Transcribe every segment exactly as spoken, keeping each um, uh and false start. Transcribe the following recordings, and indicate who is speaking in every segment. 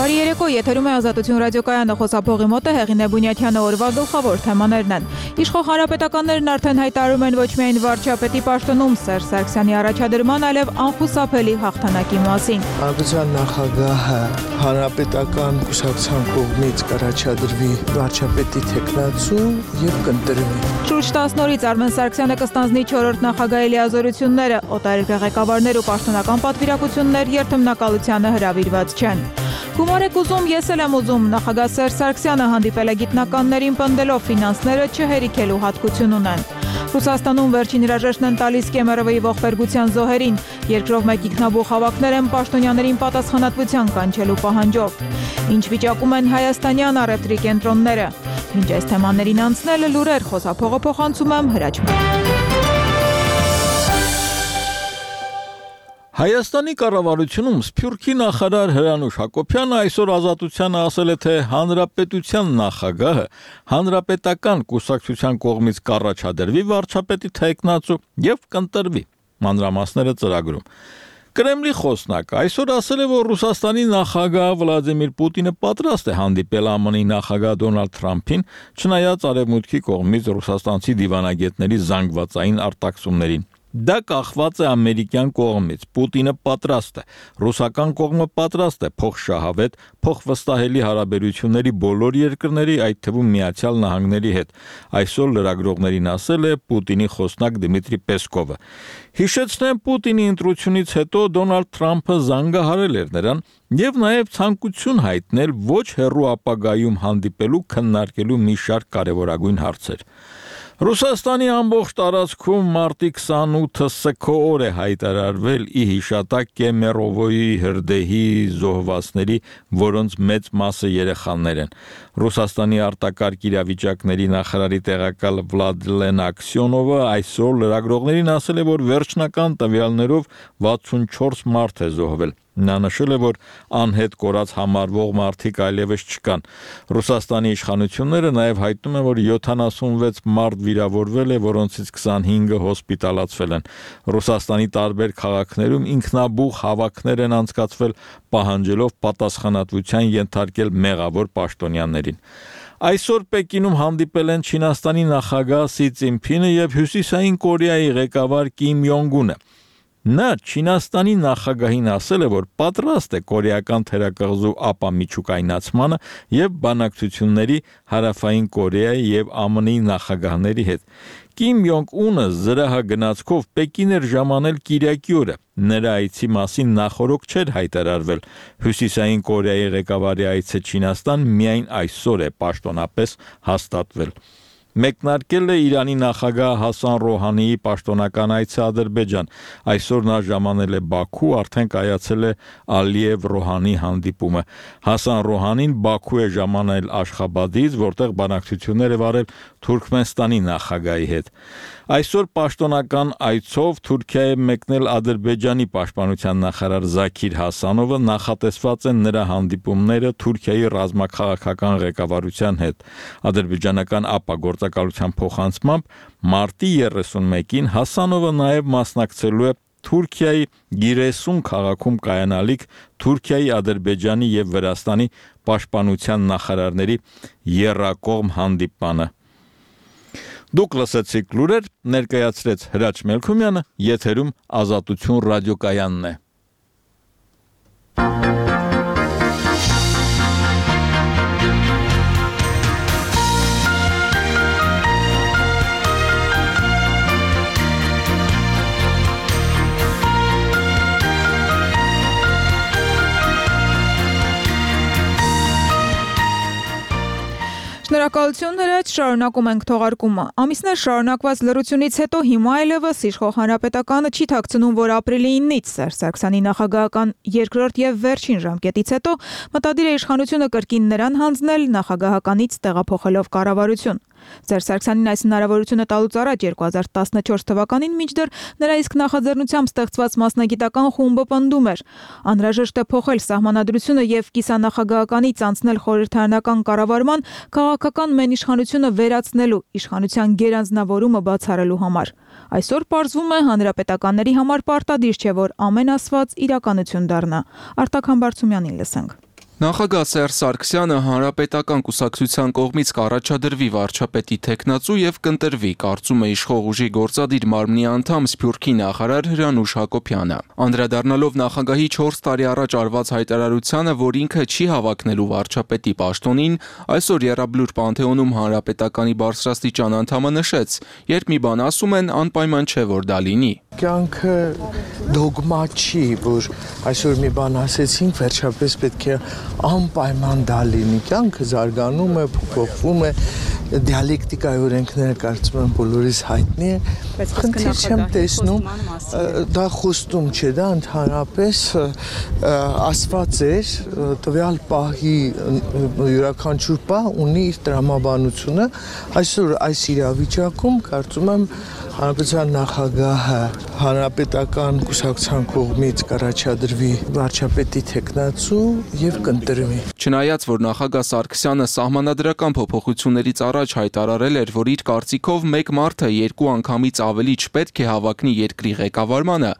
Speaker 1: Բարի երեկո, եթերում է Ազատություն ռադիոկայանը, խոսափողի մոտ է Հեղինե Բունյաթյանը, օրվա գլխավոր թեմաներն են։ Իշխող հանրապետականներն արդեն հայտարարում են ոչ միայն վարչապետի պաշտոնում Սերժ Սարգսյանի առաջադրման, այլև անխուսափելի հաղթանակի մասին։
Speaker 2: Հանրապետության նախագահը հանրապետական կուսակցության կողմից կառաջադրվի վարչապետի թեկնածու եւ կընտրվի։
Speaker 1: Շուրջ տասն օրից Արմեն Սարգսյանը կստանձնի չորրորդ նախագահի լիազորությունները, օտարերկրյա ղեկավարներ ու պաշտոնական պատվիրակություններ երթմնակալությանը հրավիրված չեն։ Հումոր եք ուզում, ես էլ եմ ուզում, նախագահ Սերժ Սարգսյանը հանդիպել է գիտնականներին պնդելով ֆինանսները չհերիքելու հատկություն ունեն։ Ռուսաստանում վերջին հրաժեշտն են տալիս Կեմերովի ողբերգության զոհերին, երկրով մեկ ինքնաբուխ հավաքներ են պաշտոնյաներին պատասխանատվության կանչելու պահանջով։ Ինչ վիճակում են հայաստանյան առևտրի կենտրոնները։ Մինչ այս թեմաներին անցնելը լուրեր, խոսափողը փոխանցում եմ Հրաչման։
Speaker 3: Հայաստանի կառավարությունում Սփյուռքի նախարար Հրանուշ Հակոբյանը այսօր Ազատությանը ասել է, թե հանրապետության նախագահը հանրապետական կուսակցության կողմից կառաջադրվի վարչապետի թեկնածու եւ կընտրվի։ Մանրամասները ծրագրում։ Կրեմլի խոսնակը այսօր ասել է, որ Ռուսաստանի նախագահ Վլադիմիր Պուտինը պատրաստ է հանդիպել ԱՄՆ-ի նախագահ Դոնալդ Թրամփին, չնայած արևմուտքի կողմից ռուսաստանցի դիվանագետների զանգվածային արտաքսումներին։ Դա կախված է ամերիկյան կողմից, Պուտինը պատրաստ է, ռուսական կողմը պատրաստ է փոխշահավետ, փոխվստահելի հարաբերությունների բոլոր երկրների, այդ թվում Միացյալ Նահանգների հետ, այսօր լրագրողներին ասել է Պուտինի խոսնակ Դմիտրի Պեսկովը։ Հիշեցնեմ, Պուտինի ընտրությունից հետո Դոնալդ Թրամփը զանգահարել էր նրան եւ նաեւ ցանկություն հայտնել ոչ հեռու ապագայում հանդիպելու քննարկելու մի շարք կարեւորագույն հարցեր։ Ռուսաստանի ամբողջ տարածքում մարտի քսանութը սգո օր է հայտարարվել ի հիշատակ Կեմերովոյի հրդեհի զոհվածների, որոնց մեծ մասը երեխաներ են։ Ռուսաստանի արտակարգ իրավիճակների նախարարի տեղակալ Վլադլեն Աքսյոնովը այսօր լրագրողներին ասել է, որ վերջնական տվյալներով վաթսունչորս մարդ է զոհվել։ Նա նշել է, որ անհետ կորած համարվող մարդիկ այլևս չկան։ Ռուսաստանի իշխանությունները նաև հայտնում են, որ յոթանասունվեց մարդ վիրավորվել է, որոնցից քսանհինգը հոսպիտալացվել են։ Ռուսաստանի տարբեր քաղաքներում ինքնաբուխ հավաքներ են անցկացվել, պահանջելով պատասխանատվության ենթարկել մեղավոր պաշտոնյաներին։ Այսօր Պեկինում հանդիպել են Չինաստանի նախագահ Սի Ցզինփինը եւ Հյուսիսային Կորեայի ղեկավար Կիմ Յոնգ Ունը։ Նա Չինաստանի նախագահին ասել է, որ պատրաստ է կորեական թերակղզու ապամիջուկայնացմանը եւ բանակցությունների Հարավային Կորեայի եւ ԱՄՆ-ի նախագահների հետ։ Կիմ Յոնգ Ունը զրահագնացքով Պեկին էր ժամանել Կիրակի օրը։ Նրա այցի մասին նախորոք չէր հայտարարվել։ Հյուսիսային Կորեայի ղեկավարի այցը Չինաստան միայն այսօր է պաշտոնապես հաստատվել։ Մեկնարկել է Իրանի նախագահ Հասան Ռոհանիի պաշտոնական այցը Ադրբեջան։ Այսօր նա ժամանել է Բաքու, արդեն կայացել է Ալիև Ռոհանի հանդիպումը։ Հասան Ռոհանին Բաքու է ժամանել Աշխաբադից, որտեղ բանակցություններ է վարել Թուրքմենստանի նախագահի հետ։ Այսօր պաշտոնական այցով Թուրքիա է մեկնել Ադրբեջանի պաշտպանության նախարար Զաքիր Հասանովը, նախատեսված են նրա հանդիպումները Թուրքիայի ռազմաքաղաքական ղեկավարության հետ։ Ադրբեջանական ապագործակալության փոխանցմամբ մարտի երեսունմեկին Հասանովը նաև մասնակցելու է Թուրքիայի Գիրեսուն քաղաքում կայանալիք Թուրքիայի, Ադրբեջանի եւ Վրաստանի պաշտպանության նախարարների եռակողմ հանդիպանը։ Դուք լսեցիք լուրեր, ներկայացրեց Հրաչ Մելքումյանը, եթերում Ազատություն ռադիոկայանն է։
Speaker 1: Շնորհակալություն Հրաչ, շարունակում ենք թողարկումը։ Ամիսներ շարունակված լռությունից հետո հիմա այլևս իշխող հանրապետականը չի թաքցնում, որ ապրիլի իննից Սերժ Սարգսյանի նախագահական երկրորդ եւ վերջին ժամկետից հետո մտադիր է իշխանությունը կրկին նրան հանձնել նախագահականից տեղափոխելով կառավարություն։ Սերժ Սարգսյանին այս հնարավորությունը տալուց առաջ երկու հազար տասնչորս թվականին մինչդեռ նրա իսկ նախաձեռնությամբ ստեղծված մասնագիտական խումբը պնդում էր. անհրաժեշտ է փոխել սահմանադրությունը եւ կիսանախագահականից անցնել խորհրդարանական կառավարման, քաղաքական մենիշխանությունը վերացնելու, իշխանության գերանձնավորումը բացառելու համար։ Այսօր պարզվում է հանրապետականների համար պարտադիր չէ, որ ամեն ասված իրականություն դառնա։ Արտակ Համբարձումյանին լսենք։
Speaker 4: Նախագահ Սերժ Սարգսյանը հանրապետական կուսակցության կողմից կառաջադրվի վարչապետի թեկնածու եւ կընտրվի, կարծում է իշխող ուժի գործադիր մարմնի անդամ Սփյուռքի նախարար Հրանուշ Հակոբյանը։ Անդրադառնալով նախագահի չորս տարի առաջ արված հայտարարությանը, որ ինքը չի հավակնելու վարչապետի պաշտոնին, այսօր Եռաբլուր Պանթեոնում հանրապետականի բարձրաստիճան անդամը նշեց, երբ մի բան ասում են, անպայման չէ, որ դա լինի։
Speaker 2: Կյանքը դոգմա չի, որ այսօր մի բան ասեցինք, վերջապես պետք է անպայման դա լինի։ Կյանքը զարգանում է, փոփոխվում է, դիալեկտիկայի օրենքները կարծում եմ բոլորիս հայտնի է, խնդիր չեմ տեսնում, դա խոստում չէ, դա ընդհանրապես ասված էր, տվյալ պահի յուրաքանչյուր պահ ունի իր տրամաբանությունը, այսօր այս իրավիճակում կարծում եմ հանրապետության նախագահը հանրապետական կուսակցության կողմից կառաջադրվի վարչապետի թեկնածու եւ կընտրվի։
Speaker 4: Չնայած որ նախագահ Սարգսյանը սահմանադրական փոփոխություններից առաջ հայտարարել էր, որ իր կարծիքով մեկ մարդը երկու անգամից ավելի չպետք է հավակնի երկրի ղեկավարմանը,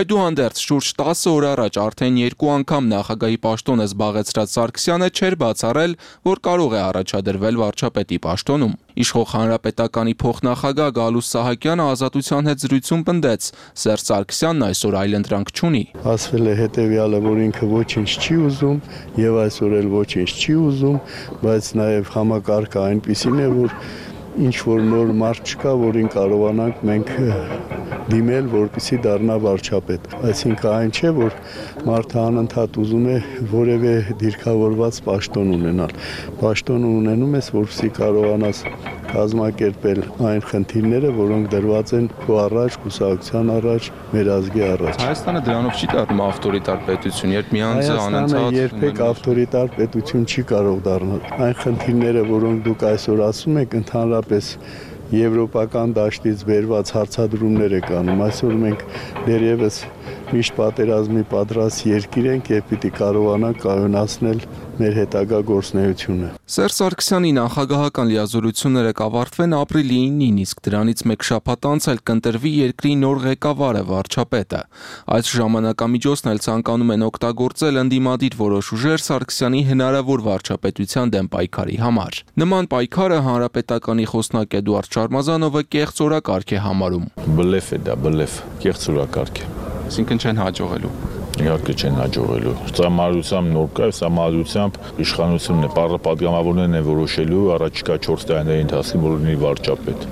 Speaker 4: այդուհանդերձ շուրջ տասը օր առաջ արդեն երկու անգամ նախագահի պաշտոնը զբաղեցրած Սարգսյանը չէր բացառել, որ կարող է առաջադրվել վարչապետի պաշտոնում։ Իշխող հանրապետականի փոխնախագահ Գալուստ Սահակյանը Ազատության հետ զրույցում պնդեց, Սերժ Սարգսյանն այսօր այլընտրանք չունի։
Speaker 5: Ասվել է հետևյալը, որ ինքը ոչինչ չի ուզում եւ այսօր էլ ոչինչ չի ուզում, բայց նաեւ համակարգը այնպիսին է, որ ինչ որ նոր մարդ չկա, որին կարողանանք մենք դիմել, որպեսզի դառնա վարչապետ։ Այսինքն այն չէ, որ մարդը անընդհատ ուզում է որևէ դիրքավորված պաշտոն ունենալ։ Պաշտոն ունենում ես, որպեսզի կարողանաս կազմակերպել այն խնդիրները, որոնք դրված են քո առաջ, կուսակցության առաջ, մեր ազգի առաջ։
Speaker 4: Հայաստանը դրանով չի դառնում ավտորիտար պետություն, երբ մի անձը անընդհատ
Speaker 5: Հայաստանը երբեք ավտորիտար պետություն չի կարող դառնալ։ Այն խնդիրները, որոնք դուք այսօր ասում եք, ընդհանրապես եվրոպական դաշտից բերված հարցադրումներ եք անում։ Այսօր մենք դեռևս միշտ պատերազմի պատրաստ երկիր ենք եւ պիտի կարողանանք կայունացնել մեր հետագա գործունեությունը։
Speaker 4: Սերժ Սարգսյանի նախագահական լիազորությունները կավարտվեն ապրիլի ինին, իսկ դրանից մեկ շաբաթ անց էլ կընտրվի երկրի նոր ղեկավարը, վարչապետը։ Այս ժամանակամիջոցն էլ ցանկանում են օգտագործել ընդդիմադիր որոշ ուժեր Սարգսյանի հնարավոր վարչապետության դեմ պայքարի համար։ Նման պայքարը հանրապետականի խոսնակ Էդուարդ Շարմազանովը կեղծ օրակարգ է համարում։
Speaker 3: Բլեֆ է դա, բլեֆ, կեղծ օրակարգ է։
Speaker 4: Այսինքն չեն հաջողելու։
Speaker 3: Իհարկե չեն հաջողելու։ Սահմանադրությամբ նոր կայ, սահմանադրությամբ իշխանությունն է, պատգամավորներն են որոշելու առաջիկա չորս տարիների ընթացքում որոնի վարչապետ։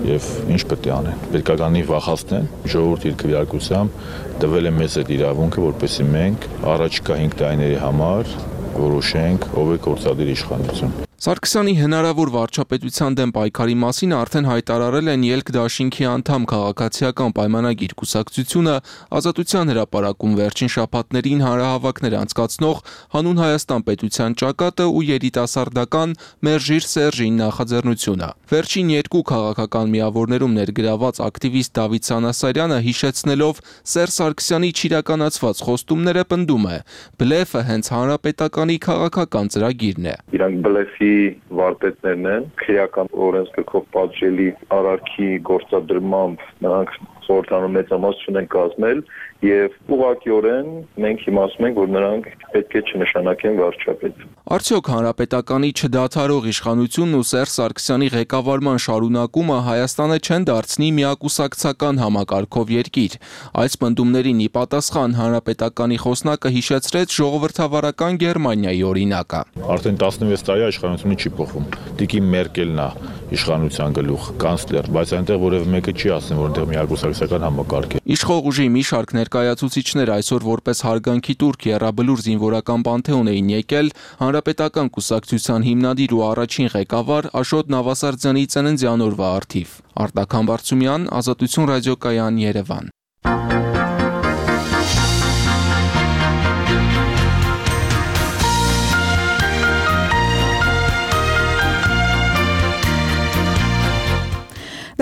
Speaker 3: Եվ ինչ պետք է անեն։ Պետք է կանի վախացնեն, ժողովուրդի իր քվեարկությամբ տվել է մեզ այդ իրավունքը, որպեսզի մենք առաջիկա հինգ տարիների համար որոշենք ով է գործադիր իշխանություն։
Speaker 4: Սարգսյանի հնարավոր վարչապետության դեմ պայքարի մասին արդեն հայտարարել են Ելք դաշինքի անդամ քաղաքացիական պայմանագիր կուսակցությունը, Ազատության հրապարակում վերջին շաբաթներին հանրահավաքներ անցկացնող Հանուն Հայաստան պետության ճակատը ու երիտասարդական Մերժիր Սերժին նախաձեռնությունը։ Վերջին երկու քաղաքական միավորներում ներգրաված ակտիվիստ Դավիթ Սանասարյանը հիշեցնելով Սերժ Սարգսյանի չիրականացված խոստումները պնդում է. բլեֆը հենց հանրապետականի քաղաքական ծրագիրն է։
Speaker 6: Իրանք բլեֆի վարտետներն են, քրեական օրենսգրքով պատժելի արարքի գործադրմամբ նրանք խորհրդանում մեծամասնություն են կազմել եւ ուղղակիորեն մենք հիմա ասում ենք, որ նրանք պետք է չնշանակեն վարչապետ։
Speaker 4: Արդյոք հանրապետականի չդադարող իշխանությունն ու Սերժ Սարգսյանի ղեկավարման շարունակումը Հայաստանը չեն դարձնի միակուսակցական համակարգով երկիր։ Այս պնդումներին ի պատասխան հանրապետականի խոսնակը հիշեցրեց ժողովրդավարական Գերմանիայի օրինակը։
Speaker 3: Արդեն տասնվեց տարի իշխանությունը չի փոխվում։ Տիկին Մերկելն է իշխանության գլուխ, կանցլեր, բայց այնտեղ որևէ մեկը չի ասում, որ այնտեղ միակուսակցական համակարգ է։
Speaker 4: Իշխող ուժի մի շարք ներկայացուցիչներ այսօր որպես հարգանքի տուրք Եռաբլուր զինվորական պանթեոն էին եկել հանրապետական կուսակցության հիմնադիր ու առաջին ղեկավար Աշոտ Նավասարդյանի ծննդյան օրվա առթիվ։ Արտակ Համբարձումյան, Ազատություն ռադիոկայան, Երևան։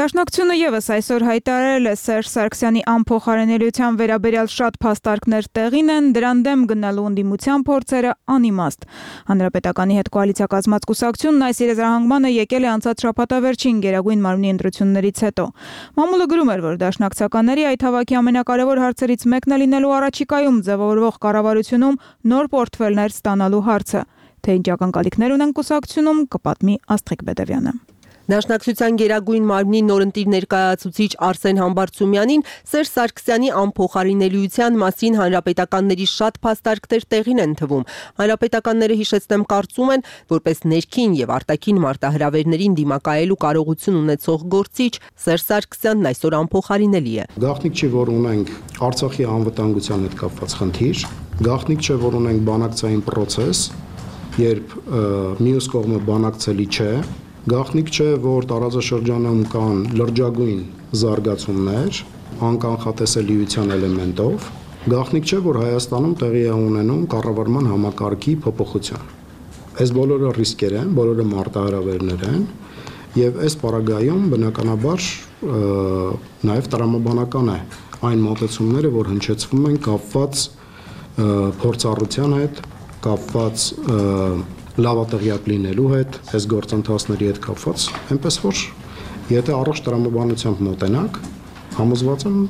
Speaker 1: Դաշնակցությունը եւս այսօր հայտարարել է Սերժ Սարգսյանի անփոխարինելիության վերաբերյալ շատ փաստարկներ տեղին են, դրան դեմ գնալու ընդդիմության փորձերը անիմաստ։ Հանրապետականի հետ կոալիցիա կազմած կուսակցությունն այս իրազահանգմանը եկել է անցած շաբաթավերջին Գերագույն մարմնի ընտրություններից հետո։ Մամուլը գրում էր, որ դաշնակցականների այդ հավաքի ամենակարևոր հարցերից մեկն է լինելու առաջիկայում ձևավորվող կառավարությունում նոր պորտֆելներ ստանալու հարցը։ Թե ինչ ակնկալիքներ ունեն կուսակցությունում, կպատմի Աստղիկ Բեդևյանը։
Speaker 7: Դաշնակցության Գերագույն մարմնի նորընտիր ներկայացուցիչ Արսեն Համբարձումյանին Սերժ Սարգսյանի անփոխարինելիության մասին հանրապետականների շատ փաստարկներ տեղին են թվում։ Հանրապետականները, հիշեցնեմ, կարծում են, որպես ներքին եւ արտաքին մարտահրավերներին դիմակայելու կարողություն ունեցող գործիչ Սերժ Սարգսյանն այսօր անփոխարինելի է։
Speaker 8: Գաղտնիք չի, որ ունենք Արցախի անվտանգության հետ կապված խնդիր, գաղտնիք չէ, որ ունենք բանակցային process, երբ մյուս կողմը բանակցելի չէ։ Գաղտնիք չէ, որ տարածաշրջանում կան լրջագույն զարգացումներ, անկանխատեսելիության էլեմենտով։ Գաղտնիք չէ, որ Հայաստանում տեղի է ունենում կառավարման համակարգի փոփոխություն։ Այս բոլորը ռիսկեր են, բոլորը մարտահրավերներ են, եւ այս պարագայում բնականաբար նաեւ տրամաբանական է այն մոտեցումները, որ հնչեցվում են կապված փորձառության հետ, կապված լավատեղյակ լինելու հետ, այս գործընթացների հետ կապված, այնպես որ եթե առողջ տրամաբանությամբ մոտենաք, համոզված եմ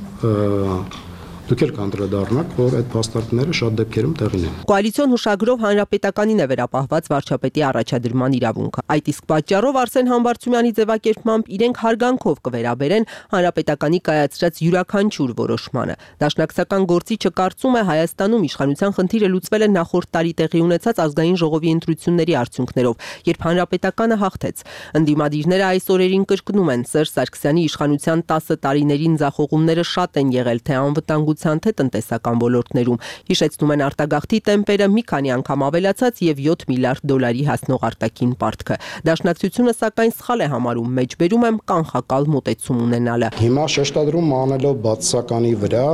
Speaker 8: դուք էլ կանդրադառնաք, որ այդ փաստարկները շատ դեպքերում տեղին են։
Speaker 7: Կոալիցիոն հուշագրով հանրապետականին է վերապահված վարչապետի առաջադրման իրավունքը։ Այդ իսկ պատճառով Արսեն Համբարձումյանի ձևակերպմամբ իրենք հարգանքով կվերաբերեն հանրապետականի կայացրած յուրաքանչյուր որոշմանը։ Դաշնակցական գործիչը կարծում է Հայաստանում իշխանության խնդիրը լուծվել է նախորդ տարի տեղի ունեցած ազգային ժողովի ընտրությունների արդյունքներով, երբ հանրապետականը հաղթեց։ Ընդդիմադիրները այս օրերին կրկնում են Սերժ Սարգսյանի իշխանության տասը տարիներին ձախողումները շատ են եղել, թե անվտանգ թե տնտեսական ոլորտներում։ Հիշեցնում են արտագաղթի տեմպերը մի քանի անգամ ավելացած եւ յոթ միլիարդ դոլարի հասնող արտաքին պարտքը։ Դաշնակցությունը սակայն սխալ է համարում, մեջբերում եմ կանխակալ մոտեցում ունենալը։
Speaker 8: Հիմա շեշտադրում անելով բացասականի վրա,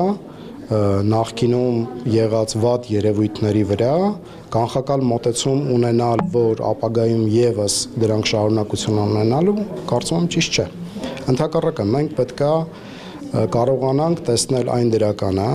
Speaker 8: նախկինում եղած վատ երևույթների վրա, կանխակալ մոտեցում ունենալ, որ ապագայում եւս դրանք շարունակություն ունենալու, կարծում եմ ճիշտ չէ։ Ընդհակառակը մենք պետքա կարողանանք տեսնել այն դրականը,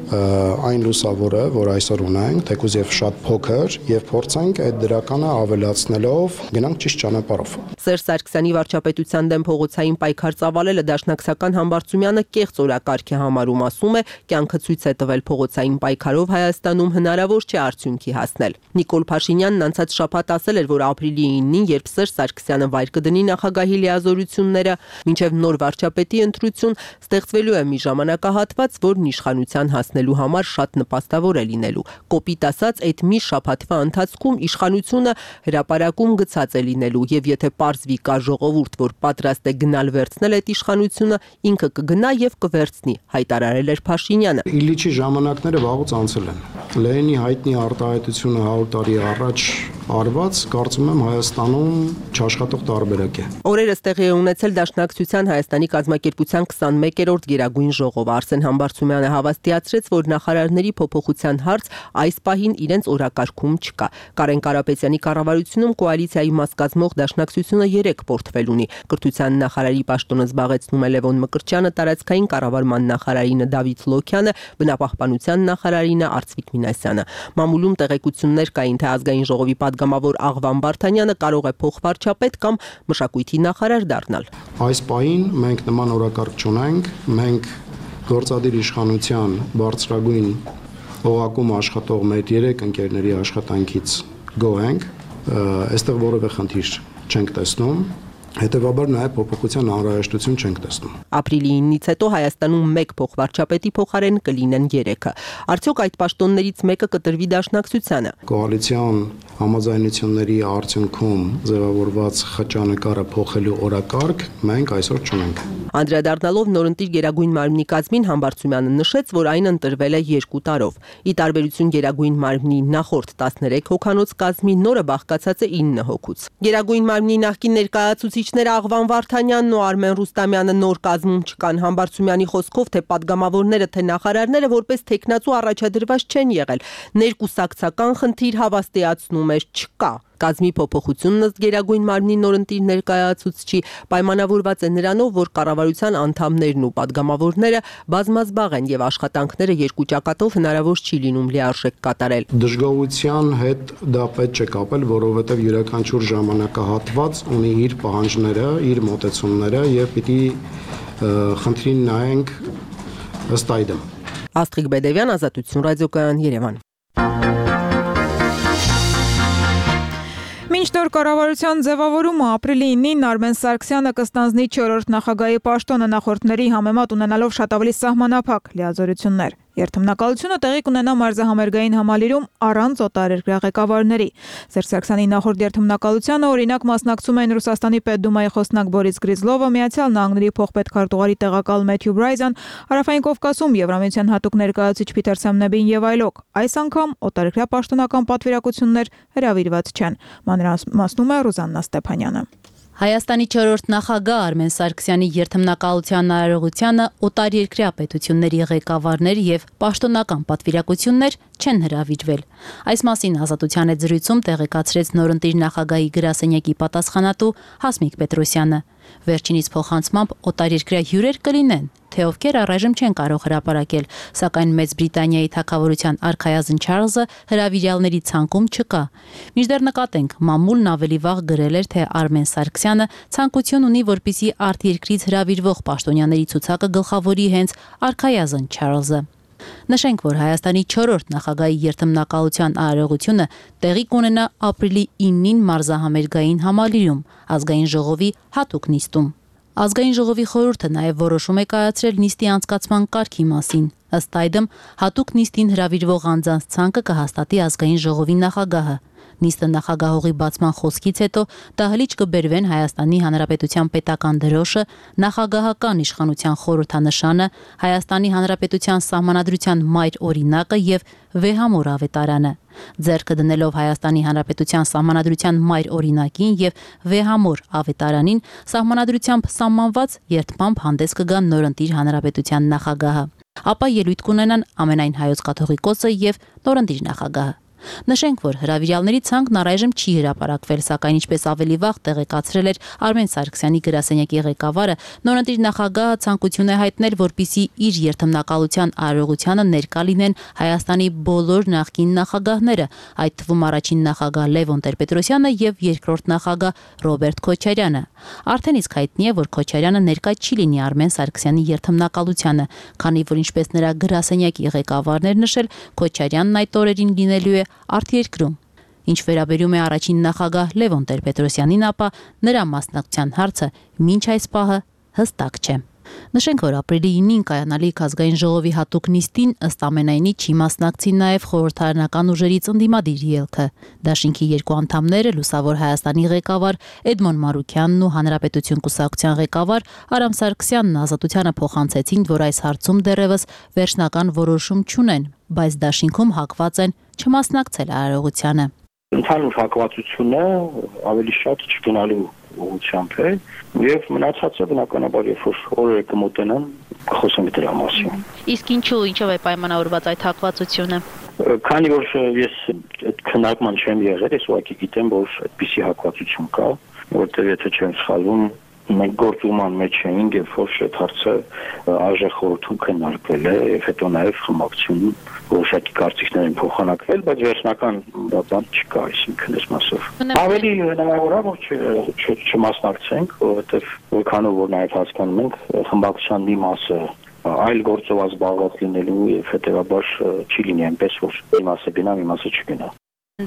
Speaker 8: այն լուսավորը, որ այսօր ունենք, թեկուզ եւ շատ փոքր, եւ փորձենք այդ դրականը ավելացնելով գնանք ճիշտ ճանապարհով։
Speaker 7: Սերժ Սարգսյանի վարչապետության դեմ փողոցային պայքար ծավալելը Դաշնակցական Համբարձումյանը կեղծ օրակարգ է համարում, ասում է, կյանքը ցույց է տվել փողոցային պայքարով Հայաստանում հնարավոր չէ արդյունքի հասնել։ Նիկոլ Փաշինյանն անցած շաբաթ ասել էր, որ ապրիլի իննին, երբ Սերժ Սարգսյանը վայր կդնի նախագահի լիազորությունները, մինչև նոր վարչապետի ընտրություն ստեղծվելու է մի ժամանակահատված, որն իշխանության հասնելու համար շատ նպաստավոր է լինելու։ Կոպիտ ասած, այդ մի շաբաթվա ընթացքում իշխանությունը հրապարակում գցած է լինելու, եւ եթե պարզվի կա ժողովուրդ, որ պատրաստ է գնալ վերցնել այդ իշխանությունը, ինքը կգնա եւ կվերցնի, հայտարարել էր Փաշինյանը։
Speaker 8: Իլիչի ժամանակները վաղուց անցել են։ Լենինի հայտնի արտահայտությունը հարյուր տարի առաջ արված, կարծում եմ Հայաստանում չաշխատող տարբերակ է։
Speaker 7: Օրերս տեղի է ունեցել Դաշնակցության Հայաստանի կազմակերպության քսանմեկերորդ Գերագույն ժողով։ Արսեն Համբարձումյանը հավաստիացրեց, որ նախարարների փոփոխության հարց այս պահին իրենց օրակարգում չկա։ Կարեն Կարապետյանի կառավարությունում կոալիցիայի մաս կազմող Դաշնակցությունը երեք պորտֆել ունի։ Կրթության նախարարի պաշտոնը զբաղեցնում է Լևոն Մկրտչյանը, տարածքային կառավարման նախարարինը Դավիթ Լոքյանը, բնապահպանության նախարարինը Արծվիկ Մինասյանը։ Մամուլում տեղեկություններ կային, թե ազգային ժողովի պատգամավոր Աղվան Բարթանյանը կարող է փոխվարչապետ կամ մշակույթի նախարար դառնալ։
Speaker 8: Այս պահին մենք նման օրակարգ չունենք, մենք գործադիր իշխանության բարձրագույն օղակում աշխատող մեր երեք ընկերների աշխատանքից գոհ ենք, այստեղ որևէ խնդիր չենք տեսնում, հետևաբար նաև փոփոխության անհրաժեշտություն չենք տեսնում։
Speaker 7: Ապրիլի իննից հետո Հայաստանում մեկ փոխվարչապետի փոխարեն կլինեն երեքը։ Արդյոք այդ պաշտոններից մեկը կտրվի Դաշնակցությանը։
Speaker 8: Կոալիցիոն համաձայնությունների արդյունքում ձևավորված խճանկարը փոխելու օրակարգ մենք այսօր չունենք։
Speaker 7: Անդրադառնալով նորընտիր Գերագույն մարմնի կազմին, Համբարձումյանը նշեց, որ այն ընտրվել է երկու տարով։ Ի տարբերություն Գերագույն մարմնի նախորդ տասներեք հոգանոց կազմի, նորը բաղկացած է ինը հոգուց։ Գերագույն մարմնի նախկին ներկայացուցիչները Աղվան Վարդանյանն ու Արմեն Ռուստամյանը նոր կազմում չկան։ Համբարձումյանի խոսքով, թե պատգամավորները, թե նախարարները որպես տեխնացու առաջադրված չեն եղել։ Ներկուսակցական խնդիր հավաստիացնում էր չկա։ Կազմի փոփոխությունն ըստ Գերագույն մարմնի նորընտիր ներկայացուցչի պայմանավորված է նրանով, որ կառավարության անդամներն ու падգամավորները բազմազբաղ են եւ աշխատանքները երկու ճակատով հնարավոր չի լինում լիարժեք կատարել։
Speaker 8: Դժգոհության հետ դա պետք չէ կապել, որովհետեւ յուրաքանչյուր ժամանակահատված ունի իր պահանջները, իր մոտեցումները եւ պիտի խնդրին նայենք ըստ այդմ։
Speaker 7: Աստղիկ Բեդևյան, Ազատություն ռադիոկայան, Երևան։
Speaker 1: Մինչ նոր կառավարության ձևավորումը ապրիլի ինին Արմեն Սարգսյանը կստանձնի չորրորդ նախագահի պաշտոնը նախորդների համեմատ ունենալով շատ ավելի սահմանափակ լիազորություններ։ Երթմնակալությունը տեղի կունենա մարզահամերգային համալիրում առանց օտարերկրյա ղեկավարների։ Սերժ Սարգսյանի նախորդ երթմնակալությանը օրինակ մասնակցում էին Ռուսաստանի Պետդումայի խոսնակ Բորիս Գրիզլովը, Միացյալ Նահանգների փոխպետքարտուղարի տեղակալ Մեթյու Բրայզան, Հարավային Կովկասում Եվրամիության հատուկ ներկայացուցիչ Փիթեր Սեմնեբին եւ այլոք։ Այս անգամ օտարերկրյա պաշտոնական պատվիրակություններ հրավիրված չեն։ Մանրամասնում է Ռուզաննա Ստեփանյանը։
Speaker 9: Հայաստանի չորրորդ նախագահ Արմեն Սարգսյանի երթմնակալության արարողությանը օտարերկրյա պետությունների ղեկավարներ եւ պաշտոնական պատվիրակություններ չեն հրավիրվել։ Այս մասին Ազատության հետ զրույցում տեղեկացրեց նորընտիր նախագահի գրասենյակի պատասխանատու Հասմիկ Պետրոսյանը։ Վերջինիս փոխանցմամբ օտարերկրյա հյուրեր կլինեն, թե ովքեր առայժմ չեն կարող հրապարակել, սակայն Մեծ Բրիտանիայի թագավորության արքայազն Չարլզը հրավիրյալների ցանկում չկա։ Մինչդեռ նկատենք, մամուլն ավելի վաղ գրել էր, թե Արմեն Սարգսյանը ցանկություն ունի, որպեսզի արտերկրից հրավիրվող պաշտոնյաների ցուցակը գլխավորի հենց արքայազն Չարլզը։ Նշենք, որ Հայաստանի չորրորդ նախագահի երթմնակալության արարողությունը տեղի կունենա ապրիլի ինին մարզահամերգային համալիրում ազգային ժողովի հատուկ նիստում։ Ազգային ժողովի խորհուրդը նաև որոշում է կայացրել նիստի անցկացման կարգի մասին։ Ըստ այդմ, հատուկ նիստին հրավիրվող անձանց ցանկը կհաստատի ազգային ժողովի նախագահը։ Նիստը նախագահողի բացման խոսքից հետո դահլիճ կբերվեն Հայաստանի Հանրապետության պետական դրոշը, նախագահական իշխանության խորհրդանշանը, Հայաստանի Հանրապետության սահմանադրության մայր օրինակը եւ վեհամոր ավետարանը։ Ձեռքը դնելով Հայաստանի Հանրապետության սահմանադրության մայր օրինակին եւ վեհամոր ավետարանին, սահմանադրությամբ սահմանված երթմամբ հանդես կգան նորընտիր հանրապետության նախագահը։ Ապա ելույթ կունենան ամենայն հայոց կաթողիկոսը եւ նորընտիր նախագահը։ Նշենք, որ հրավիրյալների ցանկն առայժմ չի հրապարակվել, սակայն ինչպես ավելի վաղ տեղեկացրել էր Արմեն Սարգսյանի գրասենյակի ղեկավարը, նորընտիր նախագահը ցանկություն է հայտնել, որպեսզի իր երթմնակալության արարողությանը ներկա լինեն Հայաստանի բոլոր նախկին նախագահները, այդ թվում առաջին նախագահ Լևոն Տեր-Պետրոսյանը եւ երկրորդ նախագահ Ռոբերտ Քոչարյանը։ Արդեն իսկ հայտնի է, որ Քոչարյանը ներկա չի լինի Արմեն Սարգսյանի երթմնակալությանը, քանի որ ինչպես նրա գրասենյակի ղեկավարն էր նշել, Քոչարյանն այդ օրերին լինելու է արտերկրում։ Ինչ վերաբերում է առաջին նախագահ Լևոն Տեր-Պետրոսյանին, ապա նրա մասնակցության հարցը մինչ այս պահը հստակ չէ։ Նշենք, որ ապրիլի ինին կայանալիք ազգային ժողովի հատուկ նիստին ըստ ամենայնի չի մասնակցի նաև խորհրդարանական ուժերից ընդդիմադիր ելքը։ Դաշինքի երկու անդամները Լուսավոր Հայաստանի ղեկավար Էդմոն Մարուքյանն ու Հանրապետություն կուսակցության ղեկավար Արամ Սարգսյանն Ազատությանը փոխանցեցին, որ այս հարցում դեռևս վերջնական որոշում չունեն, բայց դաշինքում հակված են չմասնակցել արարողությանը։
Speaker 10: Ընդհանուր հակվածությունը ավելի շատ չգնալու ուղղությամբ է եւ մնացածը բնականաբար երբ որ օրերը կմոտենան խոսենք դրա մասին։
Speaker 9: Իսկ ինչու ինչով է պայմանավորված այդ հակվածությունը։
Speaker 10: Քանի որ ես այդ քննարկման չեմ եղել, ես ուղղակի գիտեմ, որ այդպիսի հակվածություն կա, որտեղ եթե չեմ սխալվում, մենք գործուման մեջ էինք, երբ որ այդ հարցը արժե խորհրդում քննարկվել է եւ հետո նաեւ խմբակցությունում որոշակի կարծիքներ են փոխանակվել, բայց վերջնական բան չկա, այսինքն այս մասով։ Ավելի հնարավոր է, որ չմասնակցենք, որովհետեւ որքանով որ նաեւ հասկանում ենք, խմբակցության մի մասը այլ գործով զբաղված լինելու եւ հետեւաբար չի լինի այնպես, որ մի մասը գնա, մի մասը չգնա։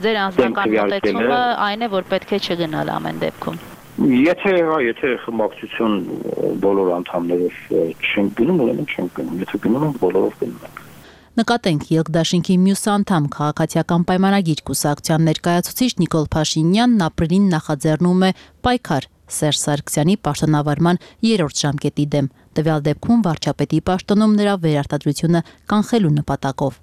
Speaker 9: Ձեր անձնական մոտեցումը այն է, որ պետք է չգնալ ամեն դեպքում։
Speaker 10: Եթե հա, եթե խմբակցություն բոլոր անդամներով չեն գնում, ուրեմն չեն գնում, եթե գնում են, բոլորով գնում են։
Speaker 9: Նկատենք Ելք-Դաշինքի մյուս անդամ քաղաքացիական պայմանագիր կուսակցության ներկայացուցիչ Նիկոլ Փաշինյանն ապրիլին նախաձեռնում է պայքար Սերժ Սարգսյանի պաշտոնավարման երրորդ ժամկետի դեմ։ տվյալ դեպքում վարչապետի պաշտոնում նրա վերարտադրությունը կանխելու նպատակով։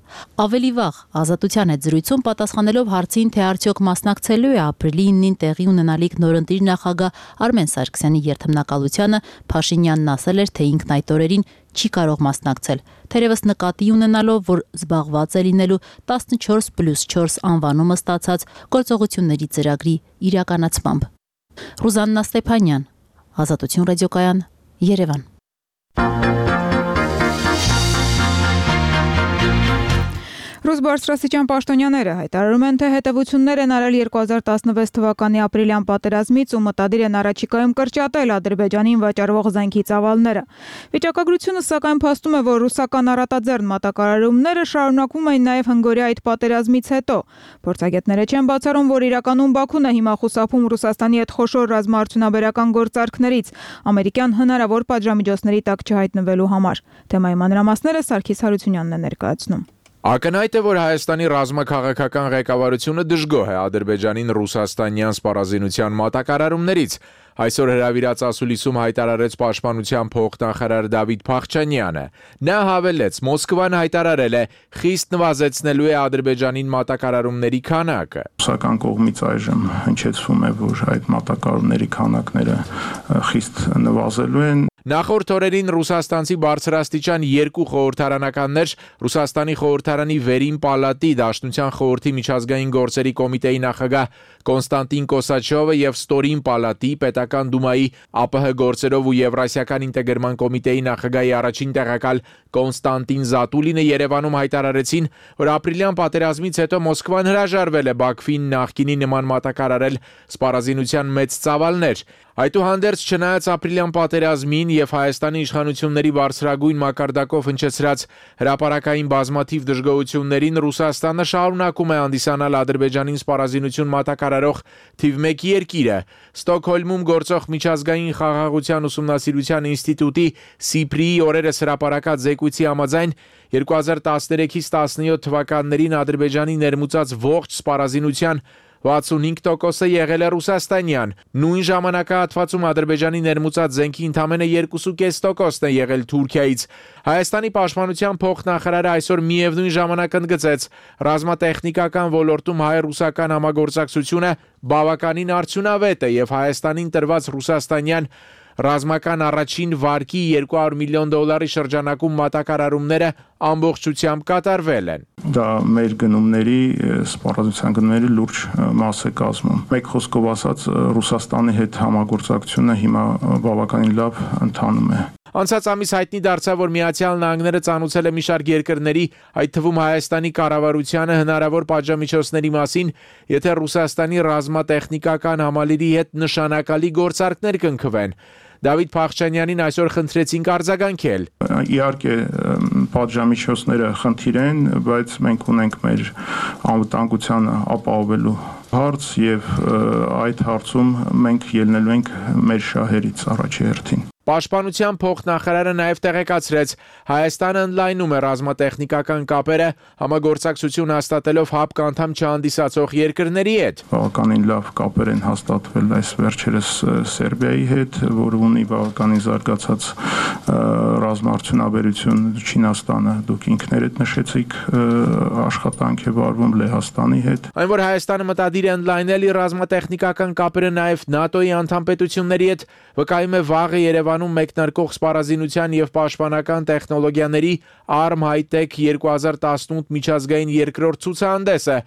Speaker 9: Ավելի վաղ Ազատության հետ զրույցում պատասխանելով հարցին, թե արդյոք մասնակցելու է ապրիլի իննին տեղի ունենալիք նորընտիր նախագահ Արմեն Սարգսյանի երթմնակալությանը, Փաշինյանն ասել էր, թե ինքն այդ օրերին չի կարող մասնակցել, թերևս նկատի ունենալով, որ զբաղված է լինելու տասնչորս պլյուս չորս անվանումը ստացած գործողությունների ծրագրի իրականացմամբ։ Ռուզաննա Ստեփանյան, Ազատություն ռադիոկայան, Երևան։
Speaker 1: Ռուս բարձրաստիճան պաշտոնյաները հայտարարում են, թե հետևություններ են արել երկու հազար տասնվեց թվականի ապրիլյան պատերազմից ու մտադիր են առաջիկայում կրճատել Ադրբեջանին վաճառվող զենքի ծավալները։ Վիճակագրությունը սակայն փաստում է, որ ռուսական առատաձեռն մատակարարումները շարունակվում են նաև հնգօրյա այդ պատերազմից հետո։ Փորձագետները չեն բացառում, որ իրականում Բաքուն է հիմա խուսափում Ռուսաստանի հետ խոշոր ռազմաարդյունաբերական գործարքներից ամերիկյան հնարավոր պատժամիջոցների տակ չհայտնվելու համար։ Թեմայի մանրամասները Սարգիս Հարությունյանն է ներկայացնում։
Speaker 11: Ակնհայտ է, որ Հայաստանի ռազմաքաղաքական ղեկավարությունը դժգոհ է Ադրբեջանին ռուսաստանյան սպառազինության մատակարարումներից։ Այսօր հրավիրած ասուլիսում հայտարարեց պաշտպանության փոխնախարար Դավիթ Փախչանյանը։ Նա հավելեց, Մոսկվան հայտարարել է խիստ նվազեցնելու է Ադրբեջանին մատակարարումների քանակը։
Speaker 12: Ռուսական կողմից այժմ հնչեցվում է, որ այդ մատակարարումների քանակները խիստ նվազելու են։
Speaker 11: Նախորդ օրերին ռուսաստանցի բարձրաստիճան երկու խորհրդարանականներ Ռուսաստանի խորհրդարանի վերին պալատի Դաշնության խորհրդի միջազգային գործերի կոմիտեի նախագահ Կոնստանտին Կոսաչովը եւ Ստորին պալատի պետական դումայի ԱՊՀ գործերով ու Եվրասիական ինտեգրման կոմիտեի նախագահի առաջին տեղակալ Կոնստանտին Զատուլինը Երևանում հայտարարեցին, որ ապրիլյան պատերազմից հետո Մոսկվան հրաժարվել է Բաքվին նախկինի նման մատակարարել սպառազինության մեծ ծավալներ։ Այդուհանդերձ, չնայած ապրիլյան պատերազմին եւ Հայաստանի իշխանությունների բարձրագույն մակարդակով հնչեցրած հրապարակային բազմաթիվ դժգոհություններին, Ռուսաստանը շարունակում է հանդիսանալ Ադրբեջանին սպառազինություն մատակարարող թիվ մեկ երկիրը։ Ստոկհոլմում գործող միջազգային խաղաղության ուսումնասիրության ինստիտուտի Սիպրիի օրերս հրապարակած զեկույցի համաձայն երկու հազար տասներեքից տասնյոթ թվականներին Ադրբեջանի ներմուծած ողջ սպառազինության վաթսունհինգ տոկոսը եղել է ռուսաստանյան։ Նույն ժամանակահատվածում Ադրբեջանի ներմուծած զենքի ընդամենը երկու կόμμα պենս տոկոսն է եղել Թուրքիայից։ Հայաստանի պաշտպանության փոխնախարարը այսօր միևնույն ժամանակ ընդգծեց, ռազմատեխնիկական ոլորտում հայ-ռուսական համագործակցությունը բավականին արդյունավետ է եւ Հայաստանին տրված ռուսաստանյան ռազմական առաջին վարկի երկու հարյուր միլիոն դոլարի շրջանակում մատակարարումները ամբողջությամբ կատարվել են։
Speaker 12: Դա մեր գնումների, սպառազինության գնումների լուրջ մաս է կազմում։ Մեկ խոսքով ասած, Ռուսաստանի հետ համագործակցությունը հիմա բավականին լավ ընթանում է։
Speaker 11: Անցած ամիս հայտնի դարձավ, որ Միացյալ Նահանգները ծանուցել է մի շարք երկրների, այդ թվում Հայաստանի կառավարությանը հնարավոր պատժամիջոցների մասին, եթե Ռուսաստանի ռազմատեխնիկական համալիրի հետ նշանակալի գործարքներ կնքվեն։ Դավիթ Փախչանյանին այսօր խնդրեցինք արձագանքել։
Speaker 12: Իհարկե պատժամիջոցները խնդիր են, բայց մենք ունենք մեր անվտանգությանը ապահովելու հարց եւ այդ հարցում մենք ելնելու ենք մեր շահերից առաջի հերթին։
Speaker 11: Պաշտպանության փոխնախարարը նաև տեղեկացրեց, Հայաստանը ընդլայնում է ռազմատեխնիկական կապերը համագործակցություն հաստատելով ՀԱՊԿ անդամ չհանդիսացող երկրների հետ։
Speaker 12: Բավականին լավ կապեր են հաստատվել այս վերջերս Սերբիայի հետ, որը ունի բավականին զարգացած ռազմաարդյունաբերություն, Չինաստանը դուք ինքներդ նշեցիք աշխատանք է վարվում Լեհաստանի հետ։
Speaker 11: Այն որ Հայաստանը մտադիր է ընդլայնել իր ռազմատեխնիկական կապերը նաև ՆԱՏՕ-ի անդամ պետությունների հետ, վկայում է վաղը Երևանում մեկնարկող սպառազինության եւ պաշտպանական տեխնոլոգիաների Arm High-Tech երկու հազար տասնութ միջազգային երկրորդ ցուցահանդեսը,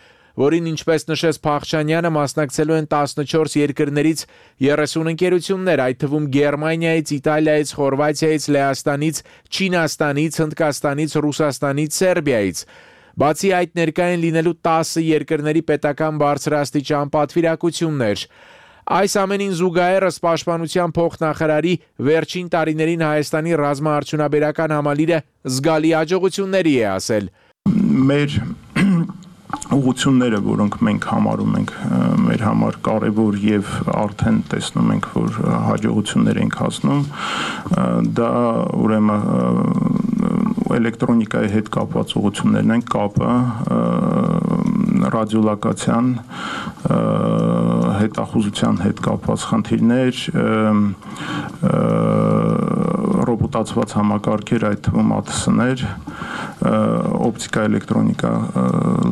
Speaker 11: որին ինչպես նշեց Փախչանյանը, մասնակցելու են տասնչորս երկրներից երեսուն ընկերություններ, այդ թվում Գերմանիայից, Իտալիայից, Խորվաթիայից, Լեհաստանից, Չինաստանից, Հնդկաստանից, Ռուսաստանից, Սերբիայից։ Բացի այդ, ներկա են լինելու տասը երկրների պետական բարձրաստիճան պատվիրակություններ։ Այս ամենին զուգահեռ պաշտպանության փոխնախարարի վերջին տարիներին Հայաստանի ռազմաարդյունաբերական համալիրը զգալի հաջողությունների է ասել։
Speaker 12: Մեր ուղղությունները, որոնք մենք համարում ենք մեր համար կարևոր եւ արդեն տեսնում ենք, որ հաջողություններ ենք հասնում, դա ուրեմն էլեկտրոնիկայի հետ կապված ուղղություններն են, կապը, ռադիոլոկացիան, հետախուզության հետ կապված խնդիրներ, կոմուտացված համակարգեր, այդ թվում ա թե ս-ներ, օպտիկա, էլեկտրոնիկա,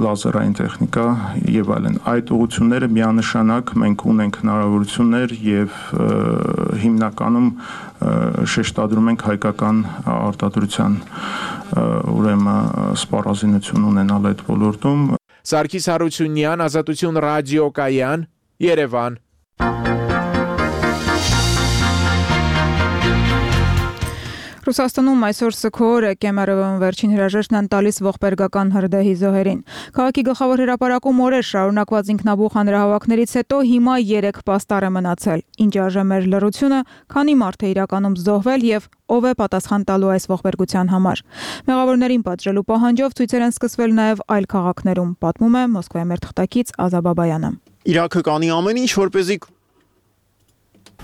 Speaker 12: լազերային տեխնիկա եւ այլն։ Այդ ուղղությունները միանշանակ մենք ունենք հնարավորություններ եւ հիմնականում շեշտադրում ենք հայկական արտադրության ուրեմն սպառազինություն ունենալ այդ ոլորտում։
Speaker 11: Սարգիս Հարությունյան, Ազատություն ռադիոկայան, Երևան։
Speaker 1: Ռուսաստանում այսօր Սքոր Կեմերովն վերջին հրաժեշտն են տալիս ողբերգական հրդեհի զոհերին։ Քաղաքի գլխավոր հրապարակում օրեր շարունակված ինքնաբուխ հանրահավաքներից հետո հիմա երեք պաստառ է մնացել։ Ինչ արժե մեր լռությունը, քանի մարդ է իրականում զոհվել եւ ով է պատասխան տալու այս ողբերգության համար։ Մեղավորներին պատժելու պահանջով ցույցեր են սկսվել նաեւ այլ քաղաքներում, պատմում է Մոսկվայի մեր թղթակից Ազա Բաբայանը։
Speaker 13: Իրաքը կանի ամեն ինչ, որպեսզի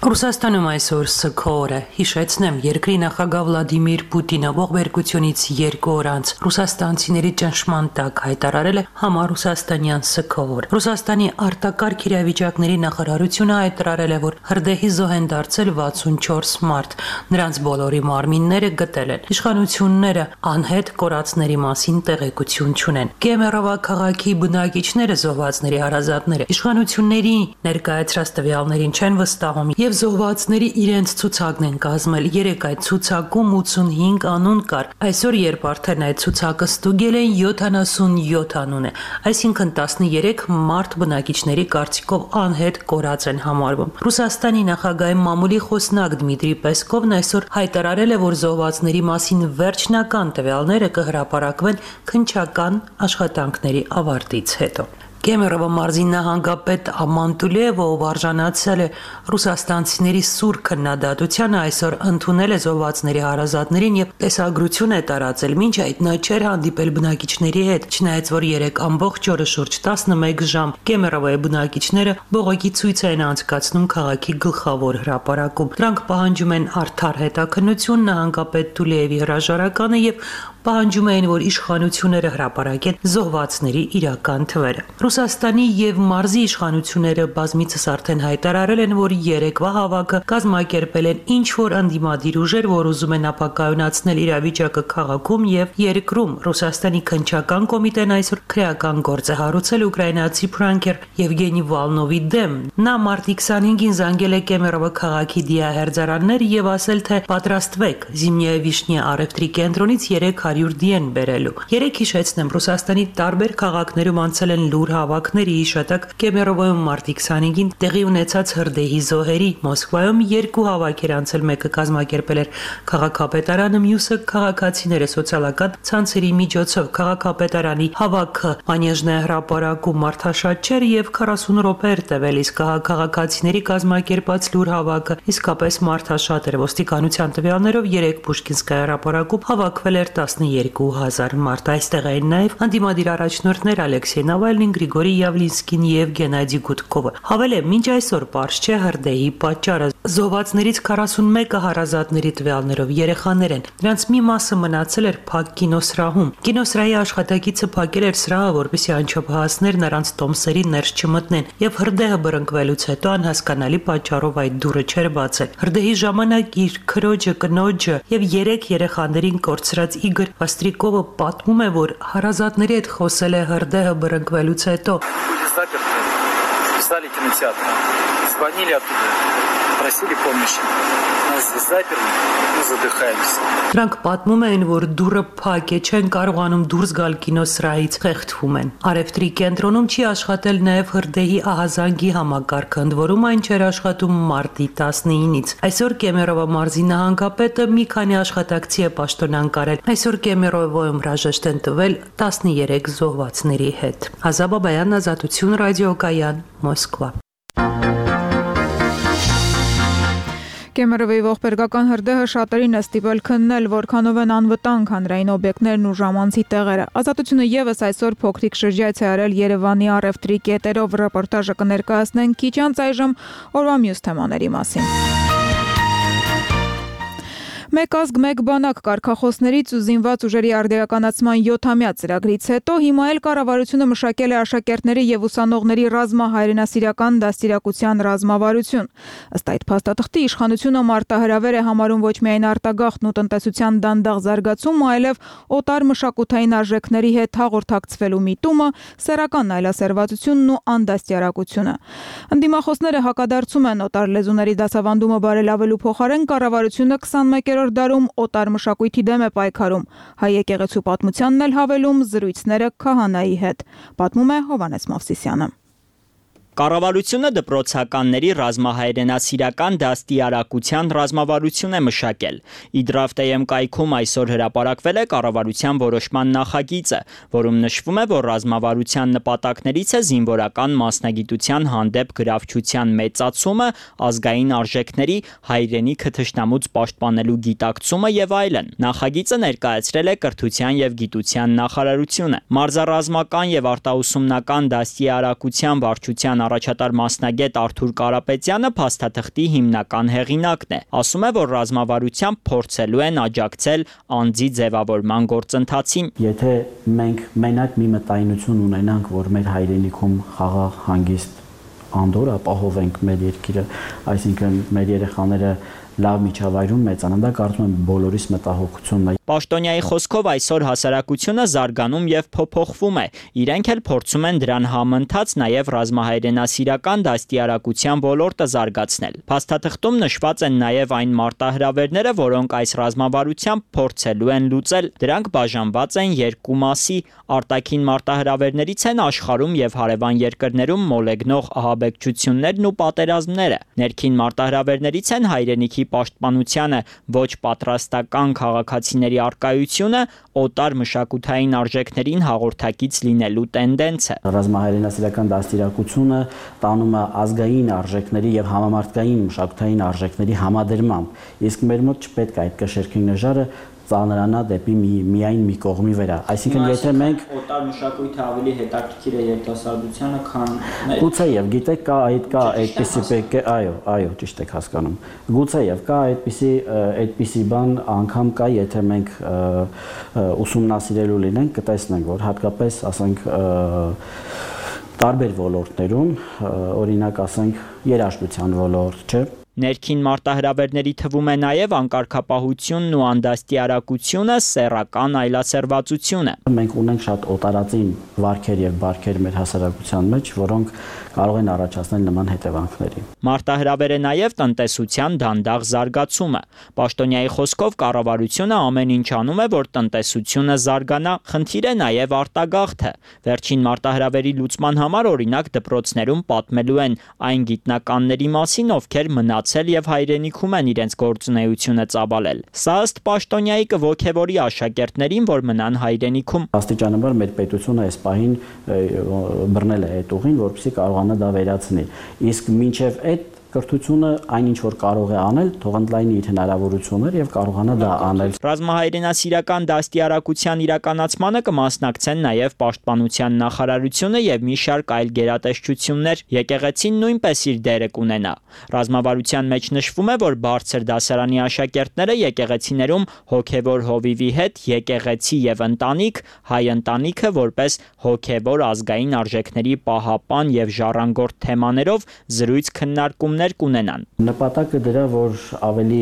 Speaker 14: Ռուսաստանում այսօր Սքորը հիշեցնեմ երկրի նախագահ Վլադիմիր Պուտինը ողբերգությունից երկու օր անց ռուսաստանցիների ճնշման տակ հայտարարել է համառուսաստանյան Սքոր։ Ռուսաստանի արտակարգ իրավիճակների նախարարությունը հայտարարել է, որ հրդեհի զոհ են դարձել վաթսունչորս մարդ, նրանց բոլորի մարմինները գտել են։ Իշխանությունները անհետ կորածների մասին տեղեկություն չունեն։ Կեմերովա քաղաքի բնակիչները զոհվածների հարազատները իշխանությունների ներկայացրած տվյալներին չեն վստահում եւ զոհվածների իրենց ցուցակն են կազմել։ Երեք այդ ցուցակում ութսունհինգ անուն կար։ Այսօր երբ արդեն այդ ցուցակը ստուգել են յոթանասունյոթ անուն է, այսինքն տասներեք մարդ բնակիչների կարծիքով անհետ կորած են համարվում։ Ռուսաստանի նախագահի մամուլի խոսնակ Դմիտրի Պեսկովն այսօր հայտարարել է, որ զոհվածների մասին վերջնական տվյալները կհրապարակվեն քննչական աշխատանքների ավարտից հետո։ Կեմերովա մարզի նահանգապետ Ամանտուլիևը, ով արժանացել է ռուսաստանցիների սուր քննադատությանը, այսօր ընդունել է զոհվածների հարազատներին եւ տեսագրություն է տարածել։ Մինչ այդ նա չէր հանդիպել բնակիչների հետ, չնայած որ երեք ամբողջ օրը շուրջ տասնմեկ ժամ Կեմերովայի բնակիչները բողոքի ցույց են անցկացնում քաղաքի գլխավոր հրապարակում։ Դրանք պահանջում են արդար հետաքննություն, նահանգապետ Տուլիևի հրաժարականը եւ պահանջում էին, որ իշխանությունները հրապարակեն զոհվածների իրական թվերը։ Ռուսաստանի եւ մարզի իշխանությունները բազմիցս արդեն հայտարարել են, որ երեկվա հավաքը կազմակերպել են ինչ-որ ընդդիմադիր ուժեր, որ ուզում են ապակայունացնել իրավիճակը քաղաքում եւ երկրում։ Ռուսաստանի քննչական կոմիտեն այսօր քրեական գործ է հարուցել ուկրաինացի պրանկեր Եվգենի Վալնովի դեմ։ Նա մարտի քսանհինգին զանգել է Կեմերովա քաղաքի դիահերձարաններ եւ ասել, թե պատրաստվեք Զիմնիա Վիշնի առևտրի կենտրոնից երեք հարյուր դիեն բերելու։ Երեք հիշեցնեմ, Ռուսաստանի տարբեր քաղաքներում անցել են լուր հավաքների հիշատակ Կեմերովայում մարտի քսանհինգին տեղի ունեցած հրդեհի զոհերի։ Մոսկվայում երկու հավաք էր անցել, մեկը կազմակերպել էր քաղաքապետարանը, մյուսը քաղաքացիները սոցիալական ցանցերի միջոցով։ Քաղաքապետարանի հավաքը Մանեժն է հրապարակում մարդաշատ չէր եւ քառասուն րոպե էր տևել, իսկ քաղաքացիների կազմակերպած լուր հավաքը իսկապես մարդաշատ էր։ Ոստիկանության տվյալներով երեք Պուշկինսկայ հրապարակում հավաքվել էր տասներկու հազար մարդ։ Այստեղ էին նաեւ անդիմադիր առաջնորդներ Ալեքսեյ Նավալնին, Գրիգորի Յավլինսկին եւ Գենադի Գուդկովը։ Հավել է, մինչ այսօր պարզ չէ հրդեհի պատճառը։ Զոհվածներից քառասունմեկը հարազատների տվյալներով երեխաներ են։ Նրանց մի մասը մնացել էր փակ կինոսրահում։ Կինոսրահի աշխատակիցը փակել էր սրահը, որպեսզի անչափահասներ նրանց տոմսերի ներս չմտնեն, եւ հրդեհը բռնկվելուց հետո անհասկանալի պատճառով այդ դուռը չէր բացել։ Հրդեհի ժամանակ իր քրոջը, կնոջը եւ երեք երեխաներին կորցրած Իգոր Վաստրիկովը պատմում է, որ հարազատների հետ խոսել է հրդեհը բռնկվելուց հետո։
Speaker 15: Писали кинотеатр, звонили оттуда, просили помощи. Нас здесь заперли, мы задыхаемся.
Speaker 14: Դրանք պատմում են, որ դուռը փակ է, չեն կարողանում դուրս գալ կինոսրահից, խեղդվում են։ Արևտրի կենտրոնում չի աշխատել նաև հրդեհի ահազանգի համակարգը, ընդ որում այն չէր աշխատում մարտի տասնինից։ Այսօր Կեմերովա մարզի նահանգապետը մի քանի աշխատակցի է պաշտոնանկարել։ Այսօր Կեմերովայում հրաժեշտ են տվել տասներեք զոհվածների հետ։ Ազա Բաբայան, Ազատություն ռադիոկայան, Մոսկվա։
Speaker 1: Կեմերովի ողբերգական հրդեհը շատերին է ստիպել քննել, որքանով են անվտանգ հանրային օբյեկտներն ու ժամանցի տեղերը։ Ազատությունը եւս այսօր փոքրիկ շրջայց է արել Երևանի առևտրի կետերով, ռեպորտաժը կներկայացնենք քիչ անց այժմ օրվա մյուս թեմաների մասին։ Մեկ ազգ մեկ բանակ կարգախոսներից ու զինված ուժերի արդիականացման յոթամյա ծրագրից հետո հիմա էլ կառավարությունը մշակել է աշակերտների եւ ուսանողների ռազմահայրենասիրական դաստիարակության ռազմավարություն։ Ըստ այդ փաստաթղթի իշխանությունը մարտահրավեր է համարում ոչ միայն արտագաղթն ու տնտեսության դանդաղ զարգացումը, այլև օտար մշակութային արժեքների հետ հաղորդակցվելու միտումը, սեռական այլասերվածությունն ու անդաստիարակությունը։ Ընդդիմախոսները հակադարձում են օտար լեզուների դասավանդումը բարելավելու փոխարեն կառավարությունը քսանմեկերորդ դարում օտար մշակույթի դեմ է պայքարում, հայ եկեղեցու պատմությանն էլ հավելում զրույցները քահանայի հետ, պատմում է Հովհաննես Մովսիսյանը։
Speaker 16: Կառավարությունը դպրոցականների ռազմահայրենասիրական դաստիարակության ռազմավարություն է մշակել։ Իդրավտեյեմ կայքում այսօր հրապարակվել է կառավարության որոշման նախագիծը, որում նշվում է, որ ռազմավարության նպատակներից է զինվորական մասնագիտության հանդեպ գրավչության մեծացումը, ազգային արժեքների, հայրենիքը թշնամուց պաշտպանելու գիտակցումը եւ այլն։ Նախագիծը ներկայացրել է Կրթության եւ Գիտության նախարարությունը։ Մարզառազմական եւ արտաուսումնական դաստիարակության վարչության առաջատար մասնագետ Արթուր Կարապետյանը փաստաթղթի հիմնական հեղինակն է։ Ասում է, որ ռազմավարությամբ փորձելու են աջակցել անձի ձևավորման գործընթացին։
Speaker 17: Եթե մենք մենակ մի մտայնություն ունենանք, որ մեր հայրենիքում խաղաղ, հանգիստ անդոր ապահովենք մեր երկիրը, այսինքն մեր երեխաները լավ միջավայրում մեծանան, դա կարծում եմ բոլորիս մտահոգությունն է։
Speaker 16: Պաշտոնյայի խոսքով այսօր հասարակությունը զարգանում եւ փոփոխվում է։ Իրենք էլ փորձում են դրան համընթաց նաեւ ռազմահայրենասիրական դաստիարակության ոլորտը զարգացնել։ Փաստաթղթում նշված են նաեւ այն մարտահրավերները, որոնք այս ռազմավարությամբ փորձելու են լուծել։ Դրանք բաժանված են երկու մասի։ Արտաքին մարտահրավերներից են աշխարհում եւ հարևան երկրներում մոլեգնող ահաբեկչություններն ու պատերազմները։ Ներքին մարտահրավերներից են հայրենիքի պաշտպանությանը ոչ պատրաստական քաղաքացիների արկայությունը, օտար մշակութային արժեքներին հաղորդակից լինելու տենդենսը։
Speaker 17: Ռազմահայրենասիրական դաստիարակությունը տանում է ազգային արժեքների եւ համամարտկային մշակութային արժեքների համադրմամբ, իսկ մեր մոտ չպետք է այդ կշերքին նժարը ծանրանա դեպի մի, միայն մի կողմի վրա։ Այսինքն եթե մենք
Speaker 16: օտար մշակույթը ավելի հետաքրքիր է երիտասարդությանը, քան
Speaker 17: գուցե եւ գիտեք կա այդ կա այդպիսի այո, այո, ճիշտ եք հասկանում։ Գուցե եւ կա այդպիսի այդպիսի բան անգամ կա, եթե մենք ուսումնասիրելու լինենք, կտեսնենք, որ հատկապես ասենք տարբեր ոլորտներում, օրինակ ասենք երաժշտության ոլորտ, չէ՞։
Speaker 16: Ներքին մարտահրավերների թվում է նաև անկարգապահությունն ու անդաստիարակությունը, սեռական այլասերվածությունը։
Speaker 17: Մենք ունենք շատ օտարածին վարքեր եւ բարքեր մեր հասարակության մեջ, որոնք կարող են առաջացնել նման հետևանքների։
Speaker 16: Մարտահրավեր է նաև տնտեսության դանդաղ զարգացումը։ Պաշտոնյայի խոսքով կառավարությունը ամեն ինչ անում է, որ տնտեսությունը զարգանա, խնդիր է նաև արտագաղթը։ Վերջին մարտահրավերի լուծման համար օրինակ դպրոցներում պատմելու են այն գիտնականների մասին, ովքեր մնացել եւ հայրենիքում են իրենց գործունեությունը ծավալել։ Սա ըստ պաշտոնյայի կողքեվորի աշակերտներին, որ մնան հայրենիքում։
Speaker 17: Աստիճանաբար մեր պետությունը այս պահին բռնել է այդ ուղին, որպեսզի կարողանա դա վերացնել։ Իսկ մինչև այդ կրթությունը այն ինչ որ կարող է անել, թող ընդլայնի իր հնարավորությունները եւ կարողանա դա անել։
Speaker 16: Ռազմահայրենասիրական դաստիարակության իրականացմանը կմասնակցեն նաեւ Պաշտպանության նախարարությունը եւ մի շարք այլ գերատեսչություններ։ Եկեղեցին նույնպես իր դերը կունենա։ Ռազմավարության մեջ նշվում է, որ բարձր դասարանի աշակերտները եկեղեցիներում հոգեվոր հովիվի հետ եկեղեցի եւ ընտանիք, հայ ընտանիքը որպես հոգեվոր ազգային արժեքների պահապան եւ ժառանգորդ թեմաներով զրույց քննարկումներ կունենան։
Speaker 17: Նպատակը դրա, որ ավելի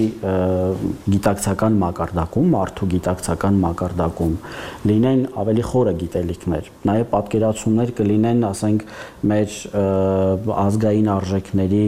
Speaker 17: գիտակցական մակարդակում, մարդու գիտակցական մակարդակում լինեն ավելի խորը գիտելիքներ, նաև պատկերացումներ կլինեն, ասենք, մեր ազգային արժեքների,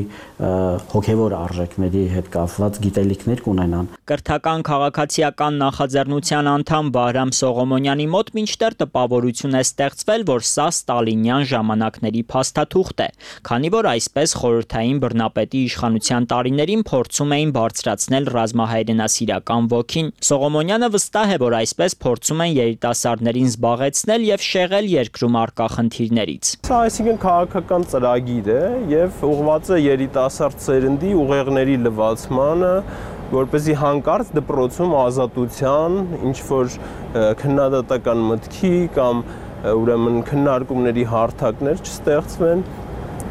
Speaker 17: հոգևոր արժեքների հետ կապված գիտելիքներ կունենան։
Speaker 16: Կրթական քաղաքացիական նախաձեռնության անդամ Վահրամ Սողոմոնյանի մոտ մինչդեռ տպավորություն է ստեղծվել, որ սա ստալինյան ժամանակների փաստաթուղթ է, քանի որ այսպես խորհրդային բռնապետի իշխանության տարիներին փորձում էին բարձրացնել ռազմահայրենասիրական ոգին։ Սողոմոնյանը վստահ է, որ այսպես փորձում են երիտասարդներին զբաղեցնել եւ շեղել երկրում առկա խնդիրներից։
Speaker 18: Սա այսինքն քաղաքական ծրագիր է եւ ուղղված է երիտասարդ սերնդի ուղեղների լվացմանը, որպեսզի հանկարծ դպրոցում ազատության, ինչ որ քննադատական մտքի կամ ուրեմն քննարկումների հարթակներ չստեղծվեն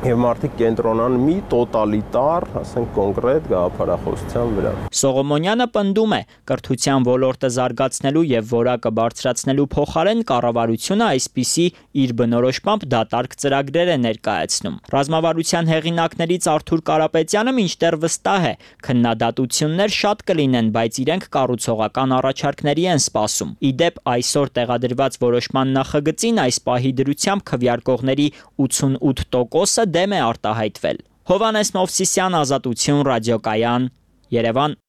Speaker 18: եւ մարդիկ կենտրոնան մի տոտալիտար, ասենք կոնկրետ գաղափարախոսության վրա։
Speaker 16: Սողոմոնյանը պնդում է, կրթության ոլորտը զարգացնելու եւ որակը բարձրացնելու փոխարեն կառավարությունը այսպիսի իր բնորոշմամբ դատարկ ծրագրեր է ներկայացնում։ Ռազմավարության հեղինակներից Արթուր Կարապետյանը մինչդեռ վստահ է, քննադատություններ շատ կլինեն, բայց իրենք կառուցողական առաջարկների են սպասում։ Իդեպ այսօր տեղադրված որոշման նախագծին այս պահի դրությամբ քվեարկողների ութսունութ տոկոսը դեմ է արտահայտվել։ Հովանես Մովսիսյան, Ազատություն, Ռադիոկայան, Երևան։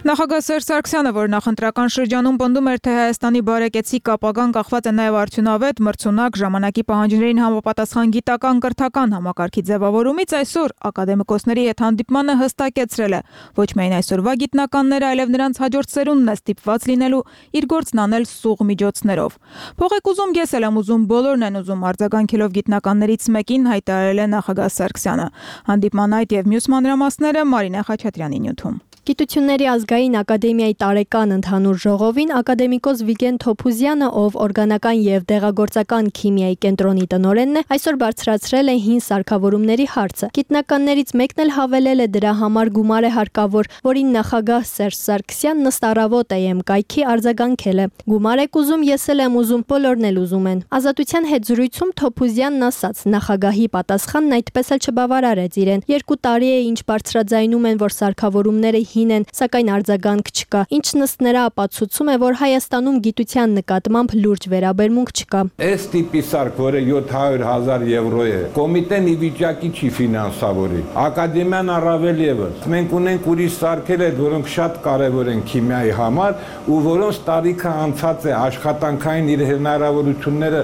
Speaker 1: Նախագահ Սերժ Սարգսյանը, որ նախընտրական շրջանում պնդում էր, թե Հայաստանի բարեկեցիկ ապագան կախված է նաև արդյունավետ, մրցունակ, ժամանակի պահանջներին համապատասխան գիտական կրթական համակարգի ձևավորումից, այսօր ակադեմիկոսների հետ հանդիպմանը հստակեցրել է, ոչ միայն այսօրվա գիտնականները, այլև նրանց հաջորդ սերունդն է ստիպված լինելու իր գործն անել սուղ միջոցներով։ Փող եք ուզում, ես էլ եմ ուզում, բոլորն են ուզում, արձագանքելով գիտնականներից մեկին հայտարարել է նախագահ Սարգսյանը։ Հանդիպման այդ եւ մյուս մանրամասները Մարինե Խաչատրյանի նյութում։
Speaker 19: Գիտությունների ազգային ակադեմիայի տարեկան ընդհանուր ժողովին ակադեմիկոս Վիգեն Թոփուզյանը, ով օրգանական եւ դեղագործական քիմիայի կենտրոնի տնօրենն է, այսօր բարձրացրել է հին սարքավորումների հարցը։ Գիտնականներից մեկն էլ հավելել է, դրա համար գումար է հարկավոր, որին նախագահ Սերժ Սարգսյանն ըստ առավոտ է էմ կայքի արձագանքել է։ Գումար եք ուզում, ես էլ եմ ուզում, բոլորն էլ ուզում են։ Ազատության հետ զրույցում Թոփուզյանն ասաց, նախագահի պատասխանն այդպես էլ չբավարարեց իրեն։ Երկու տարի է ինչ բարձրաձայնում են, որ սարքավորումները հին են, սակայն արձագանք չկա, ինչն ըստ նրա ապացուցում է, որ Հայաստանում գիտության նկատմամբ լուրջ վերաբերմունք չկա։
Speaker 20: Այս տիպի սարք, որը յոթ հարյուր հազար եվրո է, կոմիտեն ի վիճակի չի ֆինանսավորի, ակադեմիան առավել ևս։ Մենք ունենք ուրիշ սարքեր, որոնք շատ կարևոր են քիմիայի համար ու որոնց տարիքը անցած է, աշխատանքային իր հնարավորությունները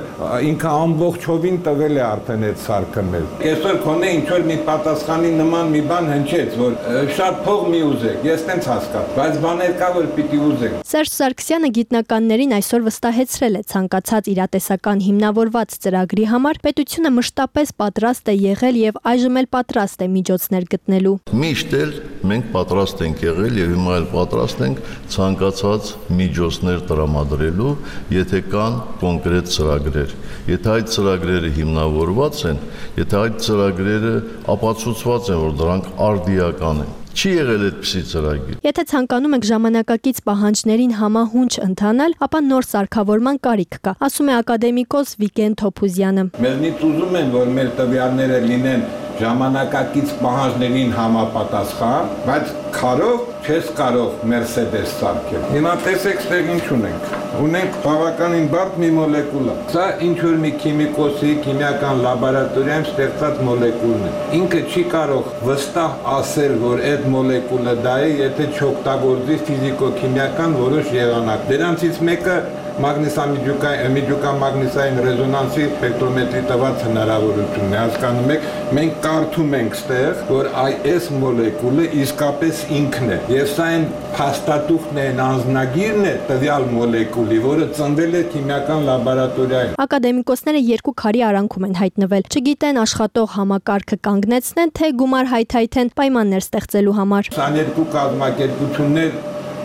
Speaker 20: ինքը ամբողջովին տվել է արդեն այդ սարքը մեր։ Այսօր քոնե ինչ որ մի պատասխանի նման մի բան հնչեց, որ շատ փող մի ուզեք, ես տենց հասկացա, բայց բաներ կա, որ պիտի ուզեք։
Speaker 19: Սերժ Սարգսյանը գիտնականներին այսօր վստահեցրել է ցանկացած իրատեսական հիմնավորված ծրագրի համար պետությունը մշտապես պատրաստ է եղել եւ այժմ էլ պատրաստ է միջոցներ գտնելու։
Speaker 21: Միշտ էլ մենք պատրաստ ենք եղել եւ հիմա էլ պատրաստ ենք ցանկացած միջոցներ տրամադրելու, եթե կան կոնկրետ ծրագրեր։ Եթե այդ ծրագրերը հիմնավորված են, եթե այդ ծրագրերը ապացուցված են, որ դրանք արդիական են։ Չի եղել այդպիսի ծրագիր։
Speaker 19: Եթե ցանկանում եք ժամանակակից պահանջներին համահունչ ընթանալ, ապա նոր սարքավորման կարիք կա, ասում է ակադեմիկոս Վիգեն Թոփուզյանը։
Speaker 20: Մեզնից ուզում են, որ մեր տվյալները լինեն ժամանակակից պահանջներին համապատասխան, բայց քարով չես կարող Mercedes սարքել։ Հիմա տեսեք, ստեղ ինչ ունենք։ Ունենք բավականին բարդ մի մոլեկուլա։ Սա ինչ որ մի քիմիկոսի քիմիական լաբորատորիայում ստեղծած մոլեկուլն է։ Ինքը չի կարող վստահ ասել, որ այդ մոլեկուլը դա է, եթե չօգտագործի ֆիզիկո-քիմիական որոշ եղանակ։ Դրանցից մեկը մագնիսամիջուկամագնիսային ռեզոնանսի սպեկտրոմետրի տված հնարավորությունն է, հասկանում եք, մենք կարդում ենք ստեղ, որ այս մոլեկուլը իսկապես ինքն է, եւ սա այն փաստաթուղթն է, անձնագիրն է տվյալ մոլեկուլի, որը ծնվել է քիմիական լաբորատորիայում։
Speaker 19: Ակադեմիկոսները երկու քարի արանքում են հայտնվել, չգիտեն աշխատող համակարգը կանգնեցնեն, թե գումար հայթայթեն պայմաններ ստեղծելու համար։
Speaker 20: քսաներկու կազմակերպություններ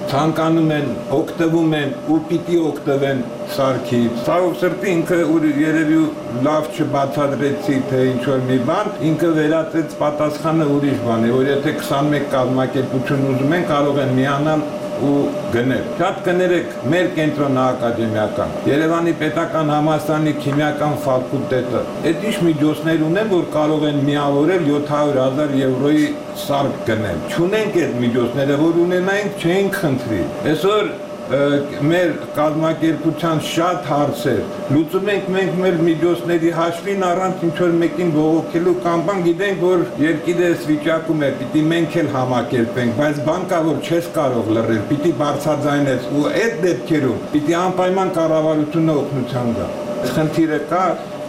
Speaker 20: ցանկանում են, օգտվում են ու պիտի օգտվեն սարքից։ Ցավոք սրտի ինքը երևի լավ չբացատրեցի, թե ինչ որ մի բան, ինքը վերածեց պատասխանը ուրիշ բան է, որ եթե քսանմեկ կազմակերպություն ուզում են, կարող են միանալ ու գնել։ Շատ կներեք մեր կենտրոնը ակադեմիական, Երևանի պետական համալսարանի քիմիական ֆակուլտետը, այդ ինչ միջոցներ ունեն, որ կարող են միավորել յոթ հարյուր հազար եվրոյի սարք գնել։ Չունենք այդ միջոցները, որ ունենայինք, չէինք խնդրի։ Այսօր մեր կազմակերպության շատ հարցեր լուծում ենք մենք մեր միջոցների հաշվին առանց ինչ-որ մեկին բողոքելու կամ բան գիտենք, որ երկիրը այս վիճակում է, պիտի մենք էլ համակերպենք, բայց բան կա, որ չես կարող լռել, պիտի բարձրաձայնես ու այդ դեպքերում պիտի անպայման կառավարությունը օգնության գա։ Խնդիրը կա,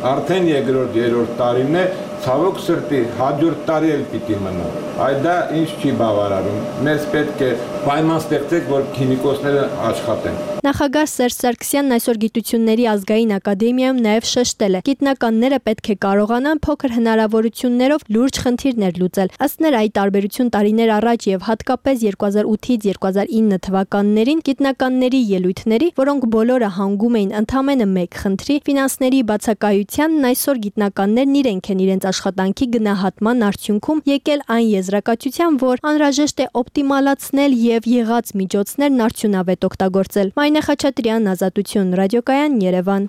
Speaker 20: արդեն երկրորդ, երրորդ տարին է, ցավոք սրտի հաջորդ տարի էլ պիտի մնա։ Այդ դա ինչ չի բավարարում։ Մեզ պետք է պայման ստեղծենք, որ քիմիկոսները աշխատեն։
Speaker 19: Նախագահ Սերժ Սարգսյանն այսօր Գիտությունների ազգային ակադեմիայում նաև շեշտել է. գիտնականները պետք է կարողանան փոքր հնարավորություններով լուրջ խնդիրներ լուծել։ Ըստ նրա, ի տարբերություն տարիներ առաջ եւ հատկապես երկու հազար ութից երկու հազար ինը թվականներին գիտնականների ելույթների, որոնք բոլորը հանգում էին ընդամենը մեկ խնդրի՝ ֆինանսների բացակայությանն, այսօր գիտնականներն իրենք են իրենց աշխատանքի գնահատման արդյունքում եկել այն եզրակացության, որ անհրաժեշտ է օպտիմալացնել եւ եղած միջոցներն արդյունավետ օգտագործել։ Մայնե Խաչատրյան, Ազատություն, ռադիոկայան, Երևան։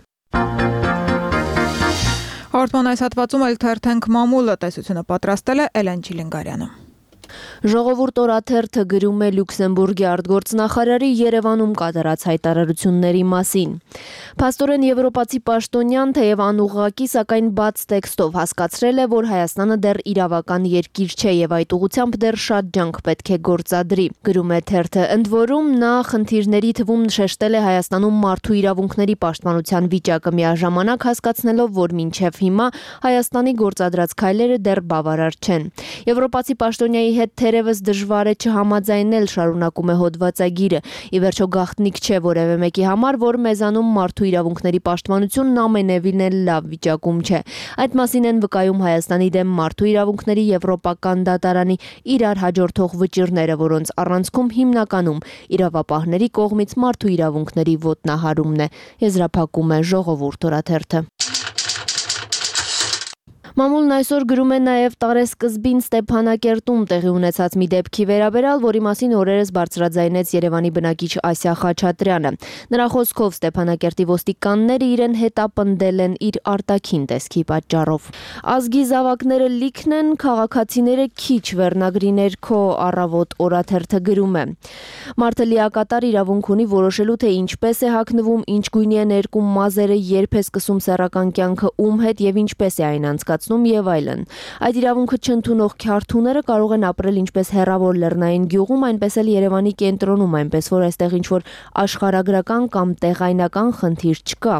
Speaker 1: Հաղորդման այս հատվածում էլ թերթենք մամուլը, տեսությունը պատրաստել է Էլեն Չիլինգարյանը։
Speaker 2: Ժողովուրդ օրաթերթը գրում է Լյուքսեմբուրգի արտգործնախարարի Երևանում կատարած հայտարարությունների մասին։ Փաստորեն եվրոպացի պաշտոնյան, թեև անուղղակի, սակայն բաց տեքստով հասկացրել է, որ Հայաստանը դեռ իրավական երկիր չէ եւ այդ ուղղությամբ դեռ շատ ջանք պետք է գործադրի։ Գրում է թերթը, ընդ որում նա խնդիրների թվում շեշտել է Հայաստանում մարդու իրավունքների պաշտպանության վիճակը, միաժամանակ հասկացնելով, որ մինչև հիմա Հայաստանի գործադրած քայլերը դեռ բավարար չեն։ Եվրոպացի պաշտոնյայի հետ թերևս դժվար է չհամաձայնել, շարունակում է հոդվածագիրը։ Ի վերջո գաղտնիք չէ որևէ մեկի համար, որ մեզանում մարդու իրավունքների պաշտպանությունն ամենևին էլ լավ վիճակում չէ։ Այդ մասին են վկայում Հայաստանի դեմ մարդու իրավունքների եվրոպական դատարանի իրար հաջորդող վճիռները, որոնց առանցքում հիմնականում իրավապահների կողմից մարդու իրավունքների ոտնահարումն է, եզրափակում է Ժողովուրդ օրաթերթը։ Մամուլն այսօր գրում է նաև տարեսկզբին Ստեփանակերտում տեղի ունեցած մի դեպքի վերաբերյալ, որի մասին օրերս բարձրաձայնեց Երևանի բնակիչ Ասիա Խաչատրյանը։ Նրա խոսքով Ստեփանակերտի ոստիկանները իրեն հետապնդել են իր արտաքին տեսքի պատճառով։ Ազգի զավակները լիքն են, քաղաքացիները քիչ, վերնագրի ներքո Առավոտ օրաթերթը գրում է։ Մարդը լիակատար իրավունք ունի որոշելու, թե ինչպես է հագնվում, ինչ գույնի է ներկում մազերը, երբ է սկսում սեռական կյանքը ում հետ եւ ինչպես է այն անցկացնում եւ այլն։ Այդ իրավունքը չընդունող քյարթուները կարող են ապրել ինչպես հեռավոր լեռնային գյուղում, այնպես էլ Երևանի կենտրոնում, այնպես որ այստեղ ինչ-որ աշխարհագրական կամ տեղայնական խնդիր չկա։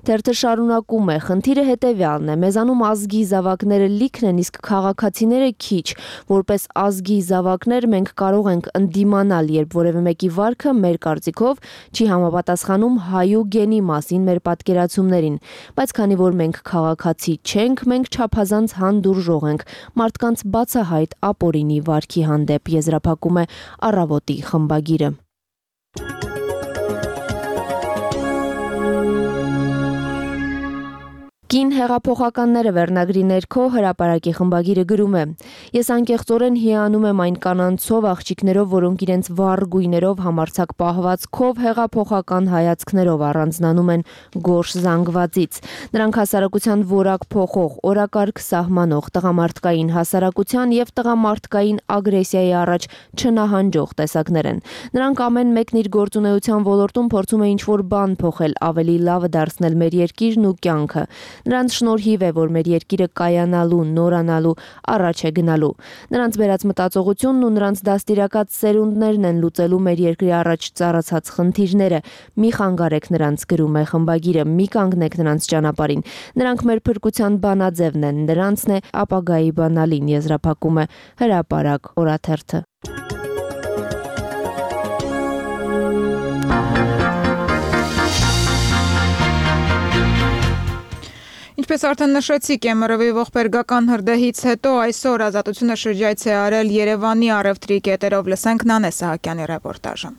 Speaker 2: Թերթը շարունակում է. խնդիրը հետեւյալն է. մեզանում ազգի զավակները լիքն են, իսկ քաղաքացիները քիչ։ Որպես ազգի զավակներ մենք կարող ենք ընդդիմանալ, երբ որևէ մեկի վարքը մեր կարծիքով չի համապատասխանում հայու գենի մասին մեր պատկերացումներին, բայց քանի որ մենք քաղաքացի չենք, մենք չափազանց հանդուրժող ենք մարդկանց բացահայտ ապօրինի վարքի հանդեպ, եզրափակում է Առավոտի խմբագիրը։ Կին հեղափոխականները վերնագրի ներքո հրապարակի խմբագիրը գրում է. Ես անկեղծորեն հիանում եմ այն կանանցով, աղջիկներով, որոնք իրենց վառ գույներով, համարձակ պահվածքով, հեղափոխական հայացքներով առանձնանում են գորշ զանգվածից։ Նրանք հասարակության որակ փոխող, օրակարգ սահմանող, տղամարդկային հասարակության եւ տղամարդկային ագրեսիայի առաջ չնահանջող տեսակներ են։ Նրանք ամեն մեկն իր գործունեության ոլորտում փորձում է ինչ-որ բան փոխել, ավելի լավը դարձնել մեր երկիրն ու կյանքը։ Նրանց շնորհիվ է, որ մեր երկիրը կայանալու, նորանալու, առաջ է գնալու։ Նրանց բերած մտածողությունն ու նրանց դաստիարակած սերունդներն են լուծելու մեր երկրի առաջ ծառացած խնդիրները։ Մի խանգարեք նրանց, գրում է խմբագիրը, մի կանգնեք նրանց ճանապարհին։ Նրանք մեր փրկության բանաձևն են, նրանցն է ապագայի բանալին, եզրափակում է Հրապարակ օրաթերթը։
Speaker 1: Ինչպես արդեն նշեցիք, ԵՄՌՎ-ի ողբերգական հրդեհից հետո այսօր Ազատությունը շրջայց է արել Երևանի առևտրի կետերով, լսենք Նանե Սահակյանի ռեպորտաժը։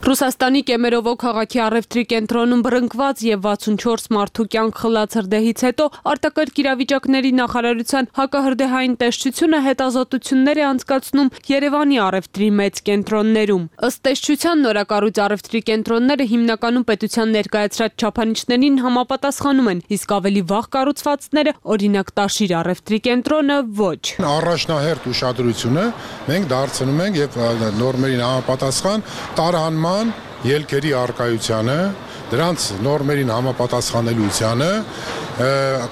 Speaker 22: Ռուսաստանի Կեմերովո քաղաքի առևտրի կենտրոնում բռնկված եւ վաթսունչորս մարդու կյանք խլած հրդեհից հետո արտակարգ իրավիճակների նախարարության հակահրդեհային տեսչությունը հետազոտություններ է անցկացնում Երևանի առևտրի մեծ կենտրոններում։ Ըստ տեսչության նորակառույց առևտրի կենտրոնները հիմնականում պետության ներկայացրած չափանիշներին համապատասխանում են, իսկ ավելի վաղ կառուցվածքները, օրինակ Տաշիր առևտրի կենտրոնը, ոչ։
Speaker 23: Առաջնահերթ ուշադրությունը մենք դարձնում ենք եւ նորմերին համապատասխան տարհանման ելքերի արկայությանը, դրանց նորմերին համապատասխանելիությանը,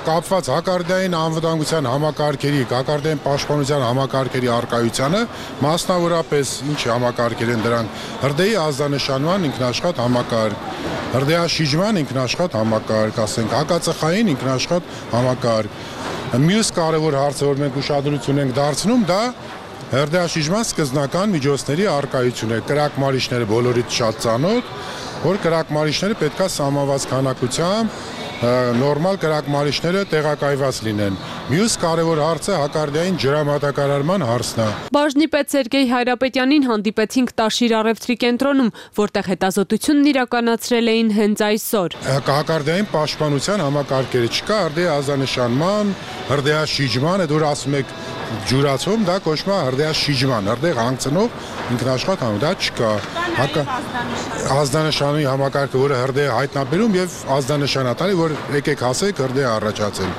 Speaker 23: կապված հակարդային անվտանգության համակարգերի, հակարդային պաշտպանության համակարգերի արկայությանը, մասնավորապես ինչ համակարգեր են դրանք, հրդեհի ազդանշանման ինքնաշխատ համակարգ, հրդեհաշիջման ինքնաշխատ համակարգ, ասենք հակածխային ինքնաշխատ համակարգ, Մյուս կարևոր հարցը, որ մենք ուշադրություն ենք դարձնում, դա հրդեհաշիժման սկզբնական միջոցների առկայություն է։ Կրակմարիչները բոլորից շատ ծանոթ, որ կրակմարիչները պետքա սահմանված քանակությամբ նորմալ կրակմարիչները տեղակայված լինեն։ Մյուս կարևոր հարցը հակարդիային ջրամատակարարման հարցն է։
Speaker 22: Բաժնի պետ Սերգեյ Հայրապետյանին հանդիպեցինք Տաշիր առևտրի կենտրոնում, որտեղ հետազոտությունն իրականացրել էին հենց այսօր։
Speaker 23: Հակարդիային պաշտպանության համակարգերը չկա, հրդեհի ազդանշանման, հրդեհաշիջման, այդ որ ասում եք ջուրացում, դա կոչվում է հրդեհաշիջման, հրդեհ հանգցնող ինքնաշխատ համ, դա չկա։ Հակա ազդանշանի համակարգը, որը հրդեհ հայտնաբերում եւ ազդանշանատալի, որ եկեք հասեք հրդեհ առաջացել։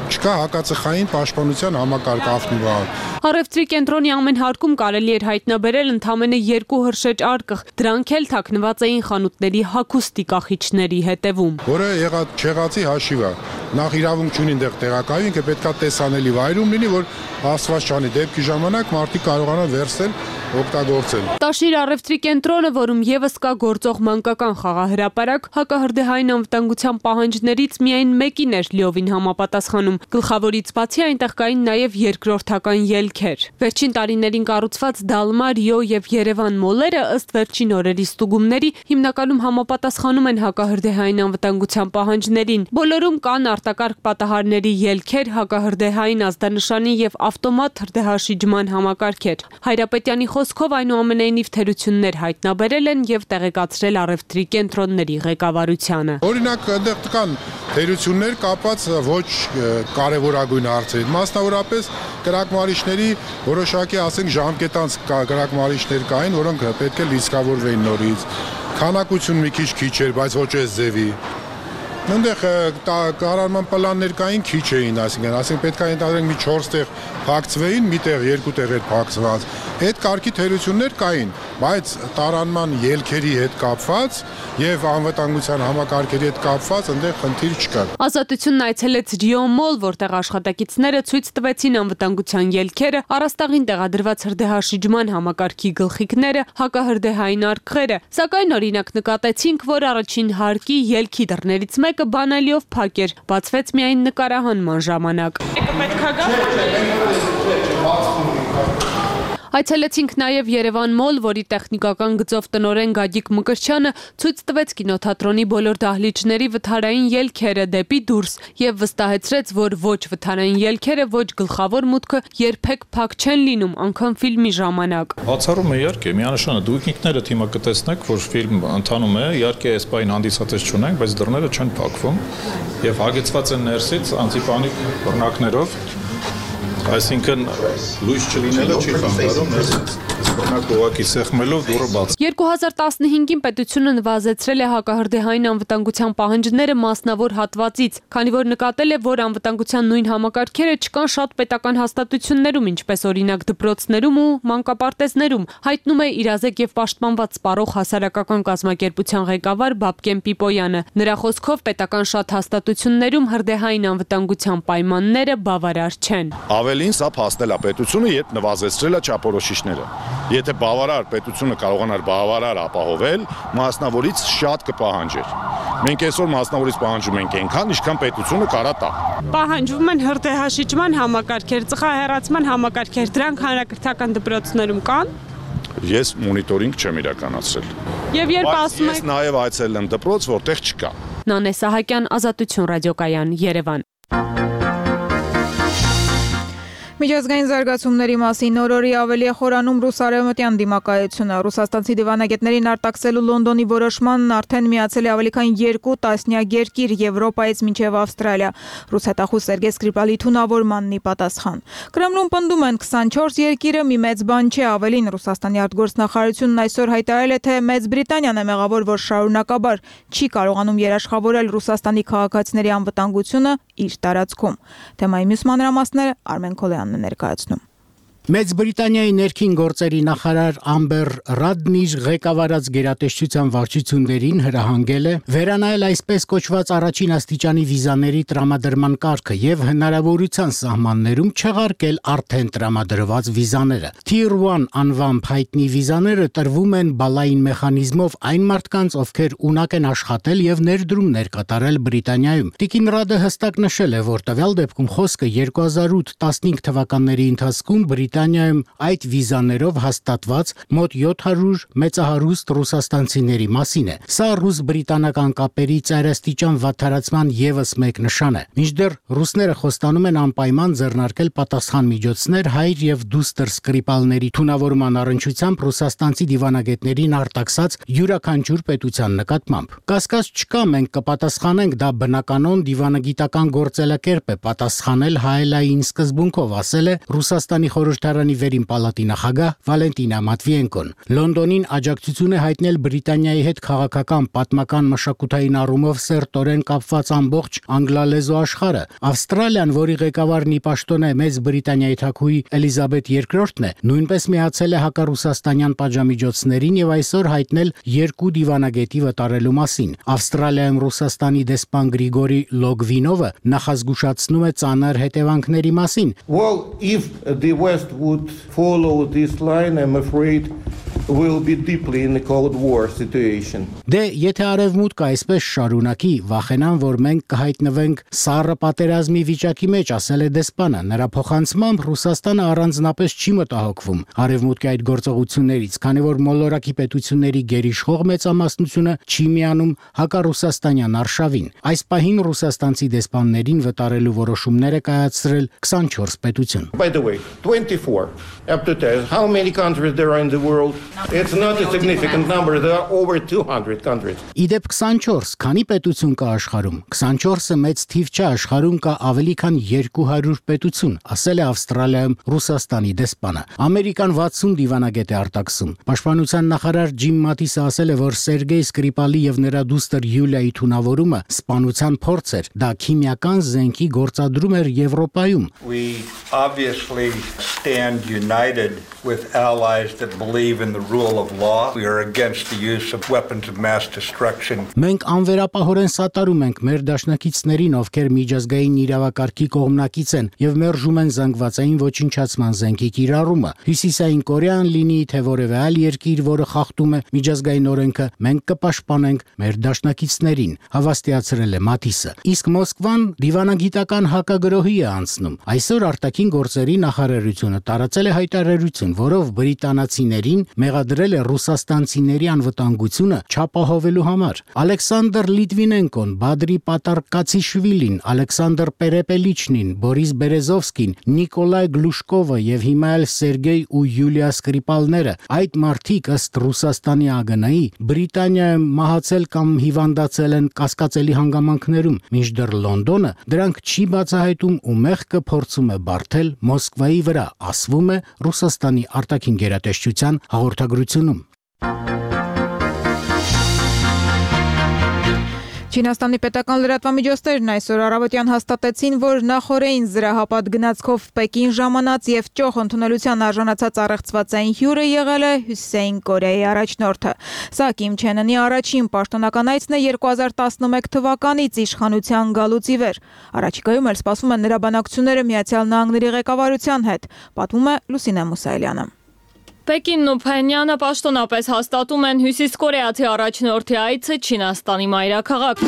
Speaker 23: Չկա հակածխային պաշտպանության համակարգ ավտոմատ։
Speaker 22: Առևտրի կենտրոնի ամեն հարկում կարելի էր հայտնաբերել ընդամենը երկու հրշեջ արկղ, դրանք էլ թաքնված էին խանութների հագուստի կախիչների հետևում։
Speaker 23: Որը եղած չեղածի հաշիվ է։ Նախ իրավունք չունին դեղ տեղակայում, ինքը պետքա տեսանելի վայրում լինի, որ աստված չանի դեպքի ժամանակ մարդիկ կարողանան վերցնել օգտագործել։
Speaker 22: Տաշիր առևտրի կենտրոնը, որում եւս կա գործող մանկական խաղահրապարակ, հակահրդեհային անվտանգության պահանջներից միայն մեկին էր լիովին համապատասխանում։ Գլխավորից բացի այնտեղ կային նաեւ երկրորդական ելքեր։ Վերջին տարիներին կառուցված Դալմա, Ռիո եւ Երևան մոլերը ըստ վերջին օրերի ստուգումների հիմնականում համապատասխանում են հակահրդեհային անվտանգության պահանջներին։ Բոլորում կան արտակարգ պատահարների ելքեր, հակահրդեհային ազդանշանի եւ ավտոմատ հրդեհաշիջման համակարգեր։ Հայրապետյանի խոսքով այնուամենայնիվ թերություններ հայտնաբերել են եւ տեղեկացրել առևտրի կենտրոնների ղեկավարությանը։
Speaker 23: Օրինակ, այնտեղ կան թերություններ կապված ոչ կարևորագույն հարցերի, մասնավորապես կրակմարիչների որոշակի, ասենք, ժամկետանց կրակմարիչներ կային, որոնք պետք է լիցքավորվեին նորից։ Քանակություն մի քիչ քիչ էր, բայց ոչ այս ձևի։ Այնտեղ կառավարման պլաններ կային քիչ էին, այսինքն, ասենք պետք է ընդհանրենք մի չորս տեղ փակցվեին, մի տեղ երկու տեղ էր փակցված։ Այդ կարգի թերություններ կային, բայց տարանման ելքերի հետ կապված եւ անվտանգության համակարգերի հետ կապված այնտեղ խնդիր չկար։
Speaker 22: Ազատությունն այցելեց Ռիո մոլ, որտեղ աշխատակիցները ցույց տվեցին անվտանգության ելքերը, առաստաղին տեղադրված հրդեհաշիջման համակարգի գլխիկները, հակահրդեհային արկղերը, սակայն օրինակ նկատեցինք, որ առաջին հարկի ելքի դռներից մեկը բանալիով փակ էր, բացվեց միայն նկարահանման ժամանակ։ Պետք Այցելեցինք նաև Երևան մոլ, որի տեխնիկական գծով տնօրեն Գագիկ Մկրտչյանը ցույց տվեց կինոթատրոնի բոլոր դահլիճների վթարային ելքերը դեպի դուրս եւ վստահեցրեց, որ ոչ վթարային ելքերը, ոչ գլխավոր մուտքը երբեք փակ չեն լինում, անգամ ֆիլմի ժամանակ։
Speaker 3: Բացառում է իհարկե, միանշանը դուք ինքներդ հիմա կտեսնեք, որ ֆիլմ ընթանում է, իհարկե այս բային հանդիսատես չունենք, բայց դռները չեն փակվում եւ հագեցված են ներսից անտիպանիկ բռնակներով։ Այսինքն լույս չլինելը չի խանգարում ներսից բռնակ ուղակի սեղմելով դուռը բաց։
Speaker 22: երկու հազար տասնհինգին պետությունը նվազեցրել է հակահրդեհային անվտանգության պահանջները մասնավոր հատվածից, քանի որ նկատել է, որ անվտանգության նույն համակարգերը չկան շատ պետական հաստատություններում, ինչպես օրինակ դպրոցներում ու մանկապարտեզներում, հայտնում է իրազեկ եւ պաշտպանված սպառող հասարակական կազմակերպության ղեկավար Բաբկեն Պիպոյանը։ Նրա խոսքով պետական շատ հաստատություններում հրդեհային անվտանգության պայմանները բավարար չեն։
Speaker 5: Ավելին սա փաստել է պետությունը, երբ նվազեցրել է չափորոշիչները։ Եթե բավարար պետությունը կարողանար բավարար ապահովել, մասնավորից շատ կպահանջեր։ Մենք այսօր մասնավորից պահանջում ենք այնքան, ինչքան պետությունը կարա տա։
Speaker 22: Պահանջվում են հրդեհաշիջման համակարգեր, ծխահեռացման համակարգեր, դրանք հանրակրթական դպրոցներում կան։
Speaker 5: Ես մոնիտորինգ չեմ իրականացրել։
Speaker 22: Եվ երբ ասում եք,
Speaker 5: ես նաև այցելել եմ դպրոց, որտեղ չկա։
Speaker 22: Նանե Սահակյան, Ազատություն ռադիոկայան, Երևան։
Speaker 1: Միջազգային զարգացումների մասին նոր-օրի ավելի է խորանում ռուս-արևմտյան դիմակայությունը։ Ռուսաստանցի դիվանագետներին արտաքսելու Լոնդոնի որոշմանն արդեն միացել է ավելի քան երկու տասնյակ երկիր Եվրոպայից մինչև Ավստրալիա։ Ռուս հետախուզ Սերգեյ Սկրիպալի թունավորմանն ի պատասխան։ Կրեմլում պնդում են քսանչորս երկիրը մի մեծ բան չէ, ավելին Ռուսաստանի արտգործնախարարությունն այսօր հայտարարել է, թե Մեծ Բրիտանիան է մեղավոր, որ շարունակաբար չի կարողանում երաշխավորել Ռուսաստանի քաղաքացիների անվտանգությունը իր տարածքում։ Թեմայի մյուս մանրամասները Արմեն Քոլյանն է ներկայացնում։
Speaker 4: Մեծ Բրիտանիայի ներքին գործերի նախարար Ամբեր Ռադն իր ղեկավարած գերատեսչության վարչություններին հրահանգել է վերանայել այսպես կոչված առաջին աստիճանի վիզաների տրամադրման կարգը եւ հնարավորության սահմաններում չեղարկել արդեն տրամադրված վիզաները։ Tier one անվամբ հայտնի վիզաները տրվում են բալային մեխանիզմով այն մարդկանց, ովքեր ունակ են աշխատել եւ ներդրումներ կատարել Բրիտանիայում։ Տիկին Ռադը հստակ նշել է, որ տվյալ դեպքում խոսքը երկու հազար ութ տասնհինգ թվականների ընթացքում Բրիտանիայում այդ վիզաներով հաստատված մոտ յոթ հարյուր մեծահարուստ ռուսաստանցիների մասին է։ Սա ռուս-բրիտանական կապերի ծայրաստիճան վատթարացման եւս մեկ նշան է։ Մինչդեռ ռուսները խոստանում են անպայման ձեռնարկել պատասխան միջոցներ հայր եւ դուստր սկրիպալների թունավորման առնչությամբ ռուսաստանցի դիվանագետներին արտաքսած յուրաքանչյուր պետության նկատմամբ։ Կասկած չկա, մենք կպատասխանենք, դա բնականon դիվանագիտական գործելակերպ է պատասխանել հայելային սկզբունքով, ասել է Ռուսաստանի խորհրդարանի վերին պալատի նախագահ Վալենտինա Մատվիենկոն։ Լոնդոնին աջակցություն է հայտնել Բրիտանիայի հետ քաղաքական, պատմական, մշակութային առումով սերտորեն կապված ամբողջ անգլալեզու աշխարհը։ Ավստրալիան, որի ղեկավարն ի պաշտոն է Մեծ Բրիտանիայի թագուհի Էլիզաբեթ երկրորդն է, նույնպես միացել է հակառուսաստանյան պատժամիջոցներին եւ այսօր հայտնել երկու դիվանագետի վտարելու մասին։ Ավստրալիայում Ռուսաստանի դեսպան Գրիգորի Լոգվինովը նախազգուշացնում է ծանր հետևանքների մասին։
Speaker 6: Well, if the West would follow this line, I'm afraid we'll be deeply in a Cold War situation.
Speaker 4: Դե եթե արևմուտքը այսպես շարունակի, վախենան, որ մենք կհայտնվենք սառը պատերազմի վիճակի մեջ, ասել է դեսպանը։ Նրա փոխանցմամբ Ռուսաստանը առանձնապես չի մտահոգվում արևմուտքի այդ գործողություններից, քանի որ մոլորակի պետությունների գերիշխող մեծամասնությունը չի միանում հակառուսաստանյան արշավին։ Այս պահին ռուսաստանցի դեսպաններին վտարելու որոշումներ է կայացրել քսանչորս պետություն։
Speaker 6: By the way, twenty-four up to ten. How many countries there are in the world? It's not a significant number. There are over two hundred countries.
Speaker 4: Իդեպ քսանչորս, քանի պետություն կա աշխարհում։ քսանչորսը մեծ թիվ չէ, աշխարհում կա ավելի քան երկու հարյուր պետություն, ասել է Ավստրալիայում Ռուսաստանի դեսպանը։ Ամերիկան վաթսուն դիվանագետ է արտաքսում։ Պաշտպանության նախարար Ջիմ Մատիսը ասել է, որ Սերգեյ Սկրիպալի եւ նրա դուստր Յուլիայի թունավորումը սպանության փորձ էր։ Դա քիմիական զենքի գործադրում էր Եվրոպայում։
Speaker 8: We obviously stand united with allies that believe in the rule of law. We are against the use of weapons of mass destruction.
Speaker 4: Մենք անվերապահորեն սատարում ենք մեր դաշնակիցներին, ովքեր միջազգային իրավակարգի կողմնակից են եւ մերժում են զանգվածային ոչնչացման զենքի կիրառումը։ Հյուսիսային Կորեան լինի թե որևէ այլ երկիր, որը խախտում է միջազգային օրենքը, մենք կպաշտպանենք մեր դաշնակիցներին, հավաստիացրել է Մատիսը։ Իսկ Մոսկվան դիվանագիտական հակագրոհի է անցնում։ Այսօր արտաքին գործերի նախարարությունը տարածել է հայտարարություն, որով բրիտանացիներին մեղադրել է ռուսաստանցիների անվտանգությունը չապահովելու համար։ Ալեքսանդր Լիտվինենկոն, Բադրի Պատարկացիշվիլին, Ալեքսանդր Պերեպելիչնին, Բորիս Բերեզովսկին, Նիկոլայ Գլուշկովը եւ հիմա էլ Սերգեյ ու Յուլիա Սկրիպալները, այդ մարդիկ ըստ Ռուսաստանի ԱԳՆ-ի Բրիտանիայում մահացել կամ հիվանդացել են կասկածելի հանգամանքներում, մինչդեռ Լոնդոնը դրանք չի բացահայտում ու մեղքը փորձում է բարթել Մոսկվայի վրա, ասվում է Ռուսաստանի արտաքին գերատեսչության հաղորդագրությունում։
Speaker 1: Չինաստանի պետական լրատվամիջոցներն այսօր առավոտյան հաստատեցին, որ նախորդին զրահապատ գնացքով Պեկին ժամանած եւ ճոխ ընդունելության արժանացած առեղծվածային հյուրը եղել է Հյուսիսային Կորեայի առաջնորդը։ Սա Կիմ Չեն Ընի առաջին պաշտոնական այցն է երկու հազար տասնմեկ թվականից իշխանության գալուց ի վեր։ Առաջիկայում էլ սպասվում են նրա բանակցությունները Միացյալ Նահանգների ղեկավարության հետ, պատմում է Լուսինե Մուսայելյանը։
Speaker 22: Պեկինն ու Փենյանը պաշտոնապես հաստատում են Հյուսիս Կորեացի առաջնորդի այցը Չինաստանի մայրաքաղաք։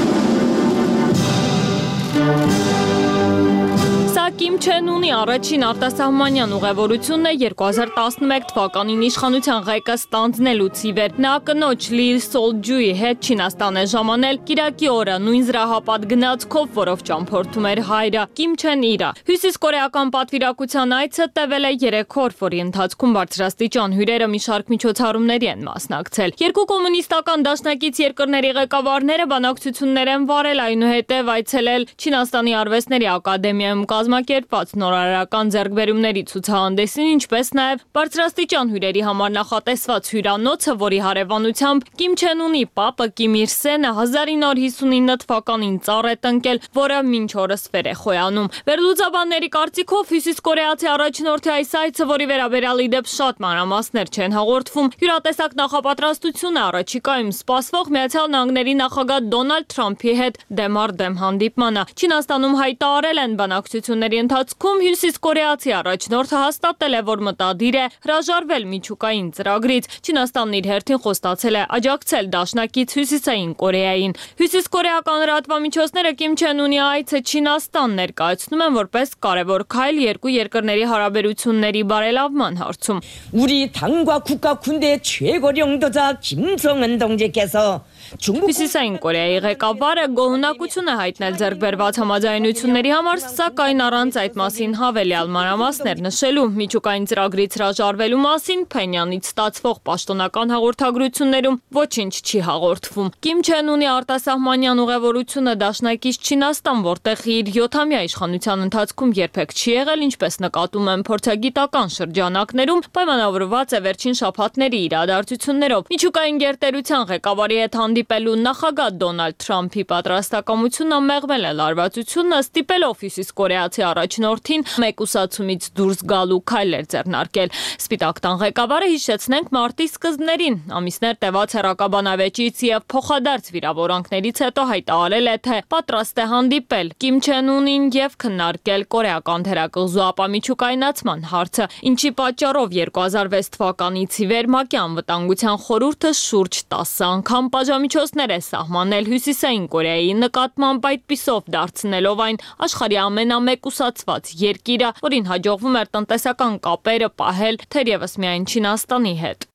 Speaker 22: Սա Կիմ Չեն Ունի առաջին արտասահմանյան ուղևորությունն է երկու հազար տասնմեկ թվականին իշխանության ղեկը ստանձնելուց ի վեր։ Նա կնոջ Լի Սոլջուի հետ Չինաստան է ժամանել կիրակի օրը նույն զրահապատ գնացքով, որով ճամփորդում էր հայրը Կիմ Չեն Իրը։ Հյուսիս կորեական պատվիրակության այցը տևել է երեք օր, որի ընթացքում բարձրաստիճան հյուրերը մի շարք միջոցառումների են մասնակցել։ Երկու կոմունիստական դաշնակից երկրների ղեկավարները բանակցություններ են վարել, այնուհետև այցելել Չինաստանի արվեստների ակադեմիայում կազմակերպ կազմակերպված նորարարական ձեռքբերումների ցուցահանդեսին, ինչպես նաև բարձրաստիճան հյուրերի համար նախատեսված հյուրանոցը, որի հարևանությամբ Կիմ Չեն Ունի պապը Կիմ Իր Սենը հազար ինը հարյուր հիսունինը թվականին ծառ է տնկել, որը մինչ օրս վեր է խոյանում։ Վերլուծաբանների կարծիքով հյուսիս կորեացի առաջնորդի այս այցը, որի վերաբերյալ ի դեպ շատ մանրամասներ չեն հաղորդվում, յուրատեսակ նախապատրաստություն է առաջիկայում սպասվող Միացյալ Նահանգների նախագահ Դոնալդ Թրամփի հետ դեմ առ դեմ հանդիպմանը։ Չինաստանում հայտարարել են բանակցությունների ընթացքում հյուսիս կորեացի առաջնորդը հաստատել է, որ մտադիր է հրաժարվել միջուկային ծրագրից։ Չինաստանն իր հերթին խոստացել է աջակցել դաշնակից Հյուսիսային Կորեային։ Հյուսիսկորեական լրատվամիջոցները Կիմ Չեն Ունի այցը Չինաստան ներկայացնում են որպես կարևոր քայլ երկու երկրների հարաբերությունների բարելավման հարցում։
Speaker 7: 우리 당과 국가 군대 최고領導자 김정은 동지께서
Speaker 22: Հյուսիսային Կորեայի ղեկավարը գոհունակություն է հայտնել ձեռքբերված համաձայնությունների համար, սակայն առանց այդ մասին հավելյալ մանրամասներ նշելու։ Միջուկային ծրագրից հրաժարվելու մասին Փենյանից ստացվող պաշտոնական հաղորդագրություններում ոչինչ չի հաղորդվում։ Կիմ Չեն Ունի արտասահմանյան ուղևորությունը դաշնակից Չինաստան, որտեղ իր յոթամյա իշխանության ընթացքում երբեք չի եղել, ինչպես նկատում են փորձագիտական շրջանակներում, պայմանավորված է վերջին շաբաթների իրադարձություններով։ Միջուկային գերտերության ղեկավարի հետ հանդիպելու նախագահ Դոնալդ Թրամփի պատրաստակամությունը մեղմել է լարվածությունը, ստիպելով հյուսիսկորեացի առաջնորդին մեկուսացումից դուրս գալու քայլեր ձեռնարկել։ Սպիտակ տան ղեկավարը, հիշեցնենք, մարտի սկզբներին ամիսներ տևած հեռակաբանավեճից եւ փոխադարձ վիրավորանքներից հետո հայտարարել է, թե պատրաստ է հանդիպել Կիմ Չեն Ունին եւ քննարկել կորեական թերակղզու ապամիջուկայնացման հարցը, ինչի պատճառով երկու հազար վեց թվականից ի վեր ՄԱԿ-ի անվտանգության խորհուրդը շուրջ տասը անգամ պատժամիջոցներ է սահմանել Հյուսիսային Կորեայի նկատմամբ, այդպիսով դարձնելով այն աշխարհի ամենամեկուսացված երկիրը, որին հաջողվում էր տնտեսական կապերը պահել թերևս միայն Չինաստանի հետ։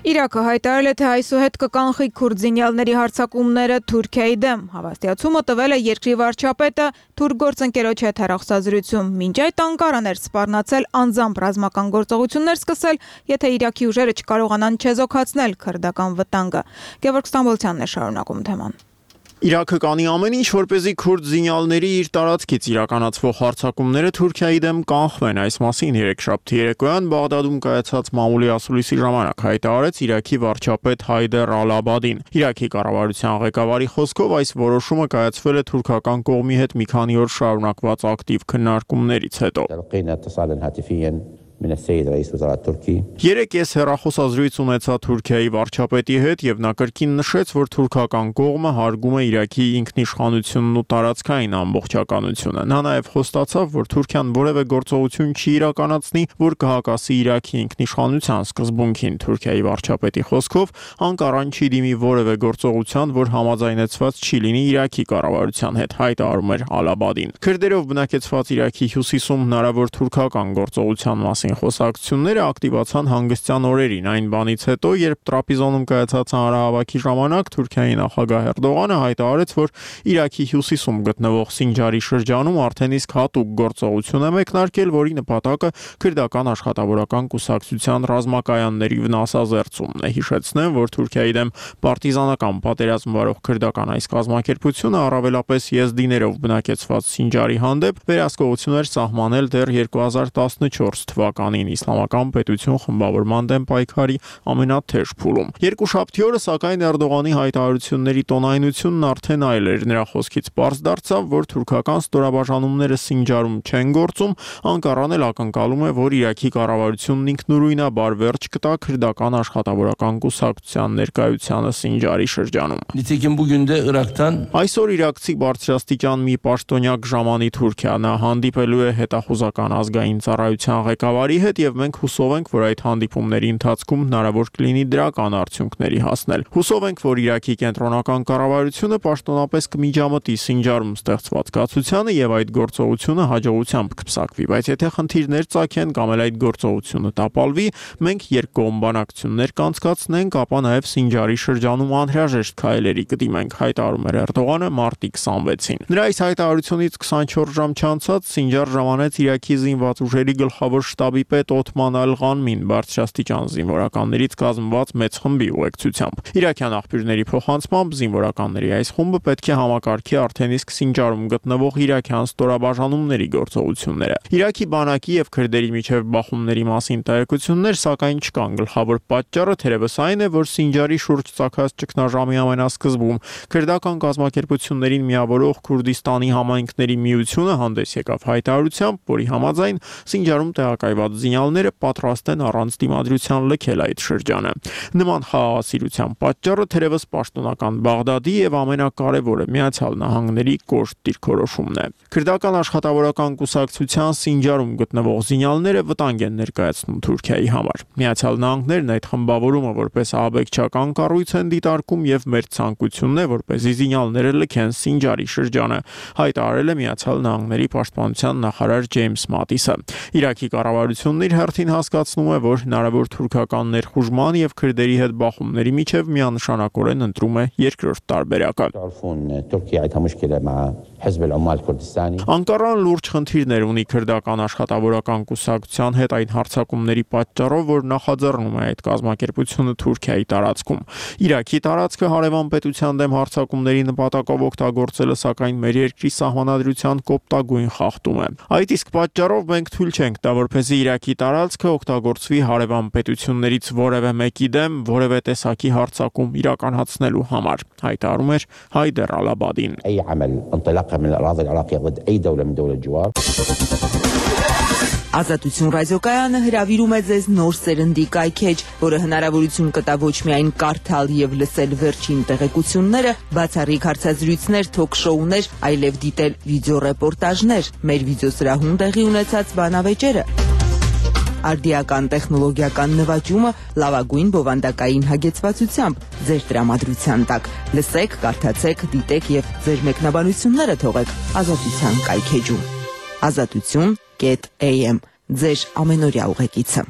Speaker 1: Իրաքը հայտարարել է, թե այսուհետ կկանխի քուրդ զինյալների հարձակումները Թուրքիայի դեմ։ Հավաստիացումը տվել է երկրի վարչապետը թուրք գործընկերոջ հետ հեռախոսազրույցում։ Մինչ այդ Անկարան էր սպառնացել անձամբ ռազմական գործողություններ սկսել, եթե Իրաքի ուժերը չկարողանան չեզոքացնել քրդական վտանգը։ Գևորգ Ստամբոլցյանն է շարունակում թեման։
Speaker 13: Իրաքը կանի ամեն ինչ, որպեսզի քուրդ զինյալների իր տարածքից իրականացվող հարձակումները Թուրքիայի դեմ կանխվեն։ Այս մասին երեքշաբթի երեկոյան Բաղդադում կայացած մամուլի ասուլիսի ժամանակ հայտարարեց Իրաքի վարչապետ Հայդեր Ալ-Աբադին։ Իրաքի կառավարության ղեկավարի խոսքով այս որոշումը կայացվել է թուրքական կողմի հետ մի քանի օր շարունակված ակտիվ քննարկումներից հետո։ Երեք ես հեռախոսազրույց ունեցա Թուրքիայի վարչապետի հետ եւ նա կրկին նշեց, որ թուրքական կողմը հարգում է Իրաքի ինքնիշխանությունն ու տարածքային ամբողջականությունը։ Նա նաեւ խոստացավ, որ Թուրքիան որևէ գործողություն չի իրականացնի, որ կհակասի Իրաքի ինքնիշխանության սկզբունքին։ Թուրքիայի վարչապետի խոսքով Անկարան չի դիմի որևէ գործողության, որ համաձայնեցված չի լինի Իրաքի կառավարության հետ, հայտարարում էր Ալ-Աբադին։ Քրդերով բնակեցված Իրաքի հյուսիսում հնարավոր թուրքական գործողության մասին խոսակցությունները ակտիվացան հանգստյան օրերին, այն բանից հետո, երբ Տրապիզոնում կայացած հանրահավաքի ժամանակ Թուրքիայի նախագահ Էրդողանը հայտարարեց, որ Իրաքի հյուսիսում գտնվող Սինջարի շրջանում արդեն իսկ հատուկ գործողություն է մեկնարկել, որի նպատակը քրդական աշխատավորական կուսակցության ռազմակայանների վնասազերծումն է։ Հիշեցնեմ, որ Թուրքիայի դեմ պարտիզանական պատերազմ վարող քրդական այս կազմակերպությունը առավելապես եզդիներով բնակեցված Սինջարի հանդեպ վերահսկողություն էր սահմանել դեռ երկու հազար տասնչորս թվականին իսլամական պետություն խմբավորման դեմ պայքարի ամենաթեժ փուլում։ Երկուշաբթի օրը սակայն Էրդողանի հայտարարությունների տոնայնությունն արդեն այլ էր։ Նրա խոսքից պարզ դարձավ, որ թուրքական ստորաբաժանումները Սինջարում չեն գործում, Անկարան էլ ակնկալում է, որ Իրաքի կառավարությունն ինքնուրույնաբար վերջ կտա քրդական աշխատավորական կուսակցության ներկայությանը Սինջարի շրջանում։ Այսօր իրաքցի բարձրաստիճան մի պաշտոնյակ ժամանի Թուրքիա, նա հանդիպելու է հետախուզական ազգային ծառայության ղեկավարի հետ եւ մենք հուսով ենք, որ այդ հանդիպումների ընթացքում հնարավոր կլինի դրական արդյունքների հասնել։ Հուսով ենք, որ Իրաքի կենտրոնական կառավարությունը պաշտոնապես կմիջամտի Սինջարում ստեղծված կացությանը եւ այդ գործողությունը հաջողությամբ կփսակվի, բայց եթե խնդիրներ ծագեն կամ էլ այդ գործողությունը տապալվի, մենք երկկողմ բանակցություններ կանցկացնենք, ապա նաեւ Սինջարի շրջանում անհրաժեշտ քայլերի կդիմենք, հայտարարում էր Էրդողանը մարտի քսանվեցին։ Նրա այս հայտարարությունից քսանչորս ժամ չանցած Սինջար ժամանեց Իրաքի զինված ուժերի գլխավոր շտաբի շտաբի պետ Օթման Ալ-Ղանմին բարձրաստիճան զինվորականներից կազմված մեծ խմբի ուղեկցությամբ։ Իրաքյան աղբյուրների փոխանցմամբ զինվորականների այս խումբը պետք է համակարգի արդեն իսկ Սինջարում գտնվող իրաքյան ստորաբաժանումների գործողությունները։ Իրաքի բանակի եւ քրդերի միջև բախումների մասին տեղեկություններ սակայն չկան։ Գլխավոր պատճառը թերևս այն է, որ Սինջարի շուրջ ցակած ճգնաժամի ամենասկզբում քրդական կազմակերպություններին միավորող Քուրդիստանի համայնքների միությունը հանդես եկավ հայտարարությամբ, որի համաձայն Սինջարում տեղակայված զինյալները պատրաստ են առանց դիմադրության լքել այդ շրջանը։ Նման խաղաղասիրության պատճառը թերևս պաշտոնական Բաղդադի եւ ամենակարևորը Միացյալ Նահանգների կոշտ դիրքորոշումն է։ Քրդական աշխատավորական կուսակցության Սինջարում գտնվող զինյալները վտանգ են ներկայացնում Թուրքիայի համար։ Միացյալ Նահանգներն այդ խմբավորումը որպես ահաբեկչական կառույց են դիտարկում եւ մեր ցանկությունն է, որպեսզի զինյալները լքեն Սինջարի շրջանը, հայտարարել է Միացյալ Նահանգների պաշտպանության նախարար Ջեյմս Մատիսը։ Իրաքի կառավարությունն իր հերթին հասկացնում է, որ հնարավոր թուրքական ներխուժման եւ քրդերի հետ բախումների միջև միանշանակորեն ընտրում է երկրորդ տարբերակը։ Անկարան լուրջ խնդիրներ ունի քրդական աշխատավորական կուսակցության հետ այն հարձակումների պատճառով, որ նախաձեռնում է այդ կազմակերպությունը Թուրքիայի տարածքում։ Իրաքի տարածքը հարևան պետության դեմ հարձակումների նպատակով օգտագործելը սակայն մեր երկրի սահմանադրության կոպտագույն խախտում է։ Այդ իսկ պատճառով մենք թույլ չենք տա, որպեսզի Իրաքի տարածքը օգտագործվի հարևան պետություններից որևէ մեկի դեմ որևէ տեսակի հարձակում իրականացնելու համար, հայտարարում էր Հայդեր Ալ-Աբադին։
Speaker 9: Ազատություն ռադիոկայանը հրավիրում է ձեզ նոր սերնդի կայքեջ, որը հնարավորություն կտա ոչ միայն կարդալ եւ լսել վերջին տեղեկությունները, բացառիկ հարցազրույցներ, թոք-շոուներ, այլև դիտել վիդեոռեպորտաժներ, մեր վիդեոսրահում տեղի ունեցած բանավեճերը, արդիական տեխնոլոգիական նվաճումը լավագույն բովանդակային հագեցվածությամբ ձեր տրամադրության տակ։ Լսեք, կարդացեք, դիտեք եւ ձեր մեկնաբանությունները թողեք Ազատության կայքեջում։ Ազատություն am ձեր ամենօրյա ուղեկիցը։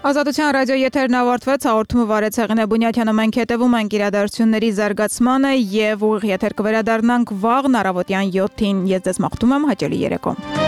Speaker 1: Ազատության ռադիո եթերն ավարտվեց, հաղորդումը վարեց Հեղինե Բունյաթյանը, մենք հետևում ենք իրադարձությունների զարգացմանը եւ ուղիղ եթեր կվերադառնանք վաղ առավոտյան յոթին։ Ես ձեզ մաղթում եմ հաճելի երեկո։